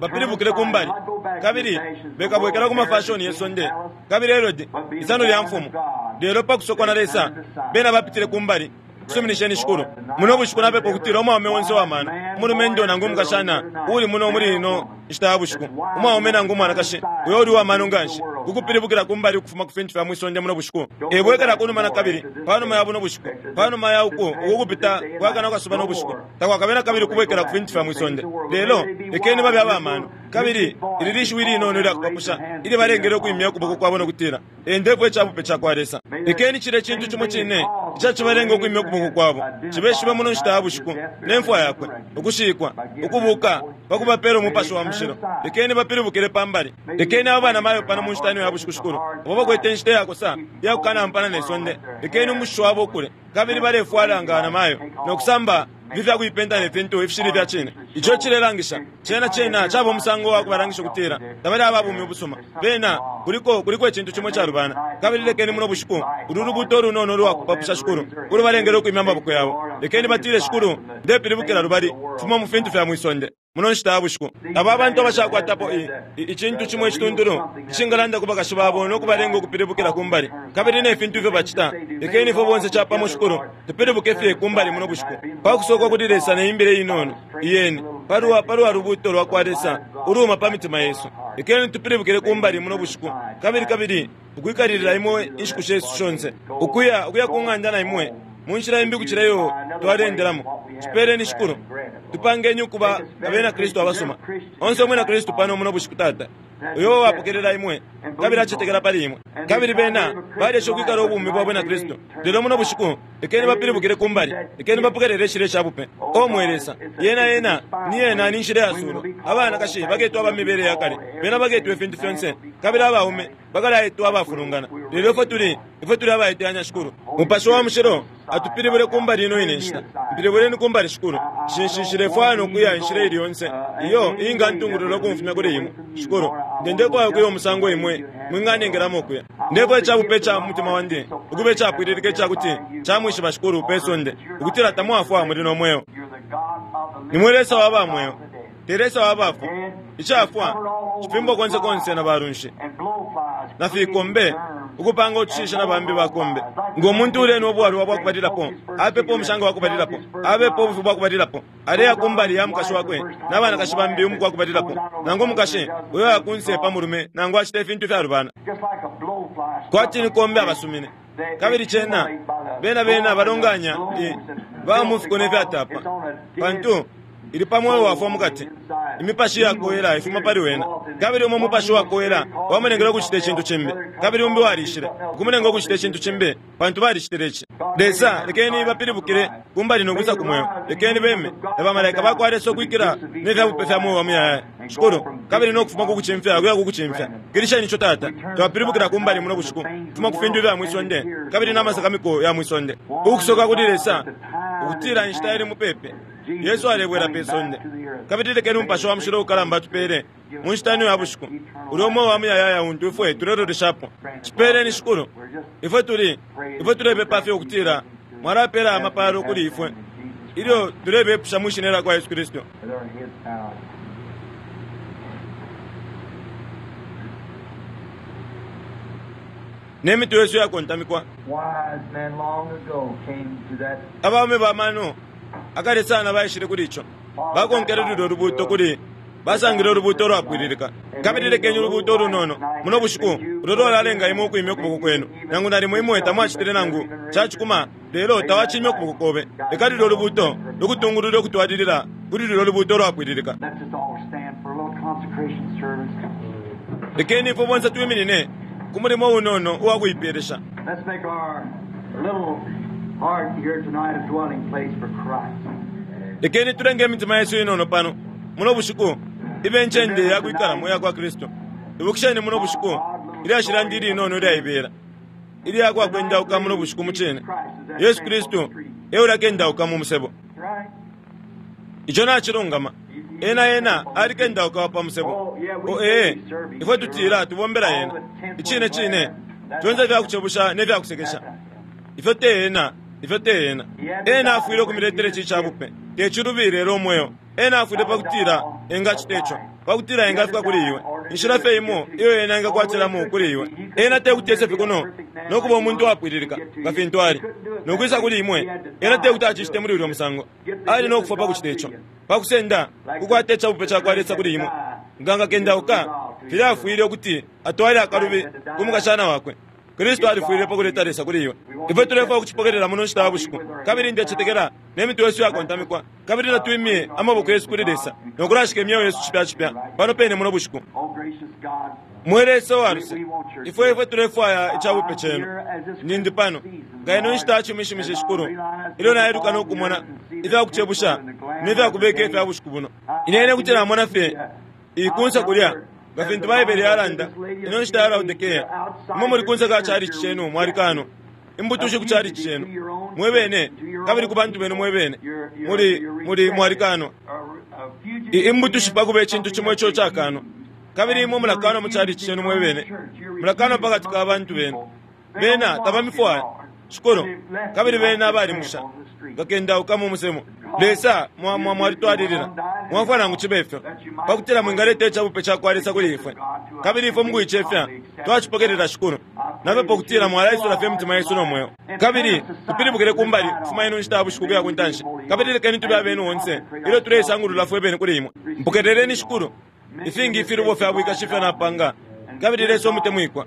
bapilibukile kumbali, kabili bekabwekela ku mafashoni yesonde kabili Herodi isano lya mfumu. Lelo pakusokwa na Lesa bena bapitile kumbali. Suminisheni shikulu muno bushiku napepa ukutila umwaume wonse wamano, umulumendo nangu umukashana uli muno muli ino nshita ya bushiku, umwaume nangu umwanakashi uyo uli wamano nganshi kukupilibukila kumbali ukufuma ku fintu fya mwisonde muno bushiku, ebwekela kunuma na kabili panuma ya buno bushiku, panuma ya uku ukukupita kwakana kasuba no bushiku, takwakabe na kabili kubwekela ku fintu fya mwisonde. Lelo lekeni babe abamano, kabili ili lishiwi linono lyakupapusha ili balengele ukwimya ukuboko kwabo nokutila endepo ecabupe cakwa Lesa. Lekeni cile cintu cimo cine icacibalenga ukwimya ukuboko kwabo cibeshibe muno nshita ya bushiku nemfwa yakwe, ukushikwa, ukubuka pakubapela umupashi wa mushilo. Lekeni bapilibukile pambali. Lekeni abo banamayo pano mu nshita ino ya bushiku shikulu, abo bakwete inshita yakosa iyakukanampana ne sonde, lekeni umushishi wabo ukule, kabili balefwala nga banamayo nokusamba ifi fyakuipenta ne fintu ifishili fya cine. Ico cilelangisha cena cena caba umusango wa kubalangisha ukutila tabali ababumi ubusuma. Bena kuliko kuliko icintu cimo calubana. Kabili lekeni muno bushiku ulu lubuto lunono lwakupapusha shikulu ulubalengele ukwimya amaboko yabo. Lekeni batile, shikulu, ndepilibukila lubali fuma mu fintu fya mwisonde muno nshita ya bushiku. Aba abantu abashakwatapo icintu cimo icituntulu icingalanda ku bakashi babo nokubalenga ukupilibukila kumbali kabili ne fintu ifyo bacita, lekeni ifwe bonse capamo shikulu tupilibuke fye kumbali muno bushiku pakusokwa kuli Lesa neimbile inono iyeni palwa palwa lubuto lwakwa Lesa uluma pa mitima yesu. Lekeni tupilibukile kumbali muno bushiku, kabili kabili ukwikalilila imwe inshiku shesu shonse, ukuya ukuya ku ng'anda na imwe munshila imbi kucila iyo twalendelamo. Cipeleni shikulu, tupangeni ukuba abena Kristu abasuma. Onse umwina Kristu pano muno bushiku, Tata, uyo wapokelela imwe kabili acetekela pali imwe, kabili bena balesha ukwikala ubumi bwa bwina Kristu. Lelo muno bushiku lekeni bapilibukile kumbali, lekeni bapokelele icile cabupe. O mwe Lesa, yena yena ni yena ni nshila yasulo. Abanakashi baketwa abamibele yakale, bena baketwa ifintu fyonse, kabili abaume bakalaetwa abafulungana. Lelo ifwe tuli ifwe tuli abaiteyanya shikulu. Mupashi wa mushilo atupilibule kumbali ino ine nshita. Mpilibuleni kumbali shikulu. Shinshishilefwaya nokuya inshila ili yonse iyo ingantungulula ukumfumya kuli imwe shikulu. Ndendefwaya ukuya umusango imwe mwinganengelamo ukuya. Ndefwaya icabupe ca mutima wandi ukuba icapwililika icakuti camwishiba shikulu pe sonde, ukutila tamwafwa muli no mweo. Nimwe Lesa wa bamweo, te Lesa wa bafwa. Icafwa cifimbo konse konse na balunshi na fikombe ukupanga utushisha na bambi bakombe. Ngo muntu uleni obwalwa bwakubalilapo, apepo omushanga wakubalilapo, abepo obufi bwakubalilapo, aleya kumbali ya mukashi wakwe n'abanakashi bambi umuku wakubalilapo, nangu omukashi uyo yakunse pa mulume nangu acita ifintu ifyalubana kwati ni kombe abasumine. Kabili cena bena bena balonganya bamufiko nefyatapa, pantu ili pamwoyo wafwa mukati. Imipashi yakoyela ifuma pali wena, kabili umo mupashi wakoyela wamunengele ukucita icintu cimbi, kabili umbi walishile ukumunenga ukucita icintu cimbi, pantu balicitile ici. Lesa, lekeni bapilibukile kumbali nokwisa ku mweo. Lekeni beme na bamalaika bakwa Lesa ukwikila nefyabupe fya mweo wa muyayaya shikulu, kabili nokufuma kukucimfya kuya kukucimfya. Kilisheni ico Tata, twapilibukila kumbali muno bushiku kufuma ku fintu ifya mwisonde kabili n'amasakamiko ya mwisonde, ukusoka kuli Lesa ukutila inshita ili mupepe. Yesu alebwela pe sonde, kabili lekeni umupashi wa mushilo ukalamba atupele mu nshita ino ya bushiku uli umwe wa muyayaya untu ifwe tuleloleshapo. Cipeleni shikulu, ifwe tuli ifwe tulepepa fye ukutila mwalapela amapalo kuli ifwe ilyo tulebepusha mwishina lya kwa Yesu Kristu. Ne mitwe yesu yakontamikwa. Abaume bamano akale sana baishile kuli ico, bakonkele lulyo lubuto kuli basangile ulubuto lwapwililika. Kabili lekeni ulubuto ulunono muno bushiku ulo lwalalenga imwe ukwimya ukuboko kwenu, nangu nalimo imwe tamwacitile nangu cacikuma, lelo tawacimya ukuboko kobe. Leka lulyo lubuto lukutungulule ukutwalilila kuli lulyo lubuto lwapwililika. Lekeni ifwe bonse twiminine ku mulimo unono uwakuipelesha. Lekeni tulenge imitima yesu inono pano muno bushiku ibe ncende yakwikalamo yakwa Kristu. Ibukisheni muno bushiku ilyashi lyandi ilinono ilyaibela. ilya kwa kwendauka muno bushiku mucine. Yesu Kristu eulakendauka mu musebo. Ico nacilungama. Ena ena alikendauka pa musebo. O ee, ifwe tutila tubombela ena. Icine cine, fyonse fyakucebusha ne fyakusekesha. Ifyo te ena, ifyo te ena. Ena afwile ukumiletela ici cabupe. Te cilubi lelo umweo. Ena afwile pakutila engacita ico, pakutila engafika kuli iwe. Inshila fye imo iyo ena engakwatilamo kuli iwe. Ena tekuti ese fye kuno nokuba umuntu wapwililika nga fintu ali nokwisa kuli imwe. Ena tekuti acicite muli ulya musango. Ali nokufwa pakucita ico, pakusenda kukwata icabupe cakwa Lesa kuli imwe. Nga ngakendauka filya afwile ukuti atwale akalubi ku mukashana wakwe. Kristu alifwile pakuleta Lesa kuli iwe. Ifwe tulefwaya ukucipokelela muno nshita ya bushiku, kabili ndecetekela ne mitwe yesu yakontamikwa, kabili natwimye amaboko yesu kuli Lesa nokulashika imyeo yesu cipya cipya pano pene muno bushiku. Mwe Lesa wa luse, ifwe ifwe tulefwaya icabupe cenu. Nindi pano nga ino nshita yacimishimisha shikulu, ilyo nailuka nokumona ifyakucebusha nefyakubeka ifya bushiku buno. Inene kuti namona fye ikunsa kulya nga fintu Baibele yalanda ino nshita ya Laodikea. Imwe muli kunsa ka chalichi chenu mwalikano imbutushi ku chalichi chenu mwebene, kabili ku bantu benu mwebene muli muli mwalikano imbutushi pakuba icintu cimo ico cakano. Kabili imwe mulakano mu chalichi chenu mwebene, mulakano pakati ka bantu benu. Bena tabamifwaya shikulu, kabili bena abalimusha ngakendauka mu musemo. Lesa mwalitwalilila mwafwa nangu cibe ifyo pakutila mwingaleta icabupe cakwa Lesa kuli ifwe, kabili ifwe mukuicefya twacipokelela shikulu. Napepa ukutila mwalaisula fye imitima yesu no mweo, kabili tupilibukile kumbali kufuma ino nshita ya bushiku kuya kuntanshi, kabili lekeni tube abenu onse ilyo tuleisangulula fwe bene kuli imwe. Mpokeleleni shikulu ifingi ifilubo fya bwikashi ifyo napanga, kabili Lesa umutemwikwa,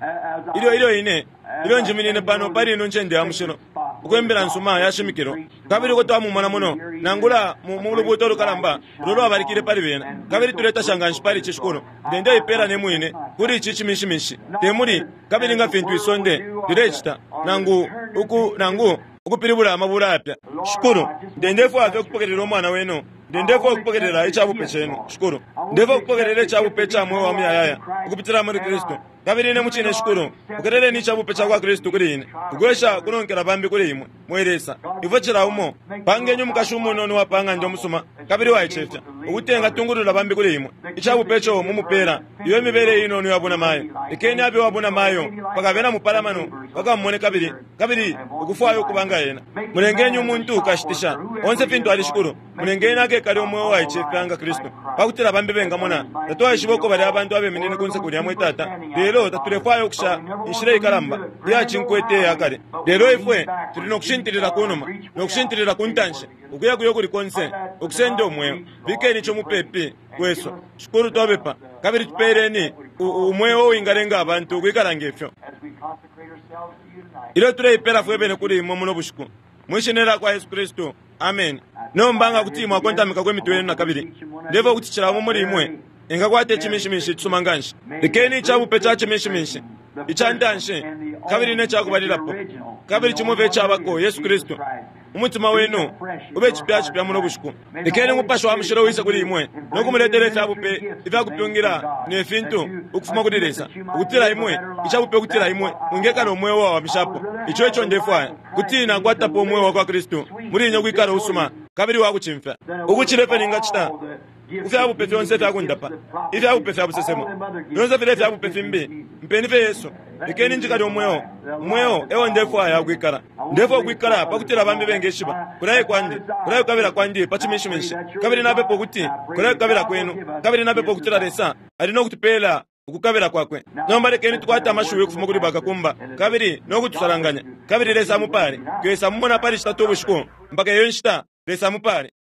ilyo ilyo ine ilyo njiminine pano pali ino ncende ya mushilo ukwembela nsuma yashimikilo, kabili uko twamumona muno nangula mu lubuto lukalamba ulo lwabalikile pali bena, kabili tuletasha nganshi pali ici shikulu. Ndende ipela ne mwine kuli ici cimishimishi temuli, kabili nga fintu isonde lilecita nangu uku nangu ukupilibula amabula yapya. Shikulu, ndendefwaya fye ukupokelela umwana wenu. Ndendefwaya ukupokelela icabupe cenu shikulu. Ndefwaya ukupokelela icabupe ca mweo wa muyayaya ukupitila muli Kristu. Kabili ine mucine shikulu, pokeleleni icabupe cakwa Kristu kuli ine, ukwesha kunonkela bambi kuli imwe. Mwe Lesa, ifwe cila umo pangenyi umukashi umunono wa pang'anda umusuma kabili waicefya, ukuti engatungulula bambi kuli imwe. Icabupe ico mumupela iyo imibele inono ya bunamayo, lekeni abe wa bunamayo mpaka abena mupalamano bakamumone kabili kabili ukufwaya ukuba nga ena. Mulengeni umuntu ukashitisha onse fintu ali shikulu, mulengeni akekale umweo waicefya nga Kristu, pakutila bambi bengamona. Tatwaishiba uko bali abantu abeminine kunse kulya mwe Tata, lelo tatulefwaya ukusha inshila ikalamba iya cinkwete yakale. Lelo ifwe tuli nokushintilila kunuma nokushintilila kuntanshi ukuya kuyo kuli konse ukusenda umweo. Bikeni ico mupepi kwesu shikulu, twabepa kabili tupeleni umweo uwingalenga abantu ukwikala ngefyo. Ilyo tuleipela fwe bene kuli imwe muno bushiku, mwishina lya kwa Yesu Kristu, amen. Nomba nga kuti mwakontamika kwe mitwe yenu nakabili, ndefwaya ukuti cila umo muli imwe engakwata icimishimishi icisuma nganshi. Lekeni icabupe ca cimishimishi ica ntanshi kabili ne cakubalilapo, kabili cimo fye icabako Yesu Kristu. Umutima wenu ube cipya cipya muno bushiku. Lekeni Umupashi wa Mushilo wise kuli imwe nokumuletela ifyabupe ifyakupyungila ne fintu ukufuma kuli Lesa, ukutila imwe icabupe ukutila imwe mwingekala umweo wawamishapo. Ico ico ndefwaya kuti nakwatapo umweo wa kwa Kristu muli ine ukwikala usuma kabili wakucimfya ukucila ifyo ningacita kufyabupe fyonse ifyakundapa, ifyabupe fya busesemo fyonse file ifyabupe fimbi. Mpeni fye Yesu, lekeni njikale umweo umweo ewo ndefwaya ukwikala. Ndefwaya ukwikala pakutila bambi bengeshiba kulaye kwandi, kulaye kukabila kwandi pa cimishimishi, kabili napepa ukuti kulaye kukabila kwenu, kabili napepa ukutila Lesa ali nokutupela ukukabila kwakwe. Nomba lekeni tukwate amashiwi ukufuma kuli bakakumba kabili nokutusalanganya, kabili Lesa amupale. Twesa mumona pali citatu ubushiku mpaka iyo nshita. Lesa amupale.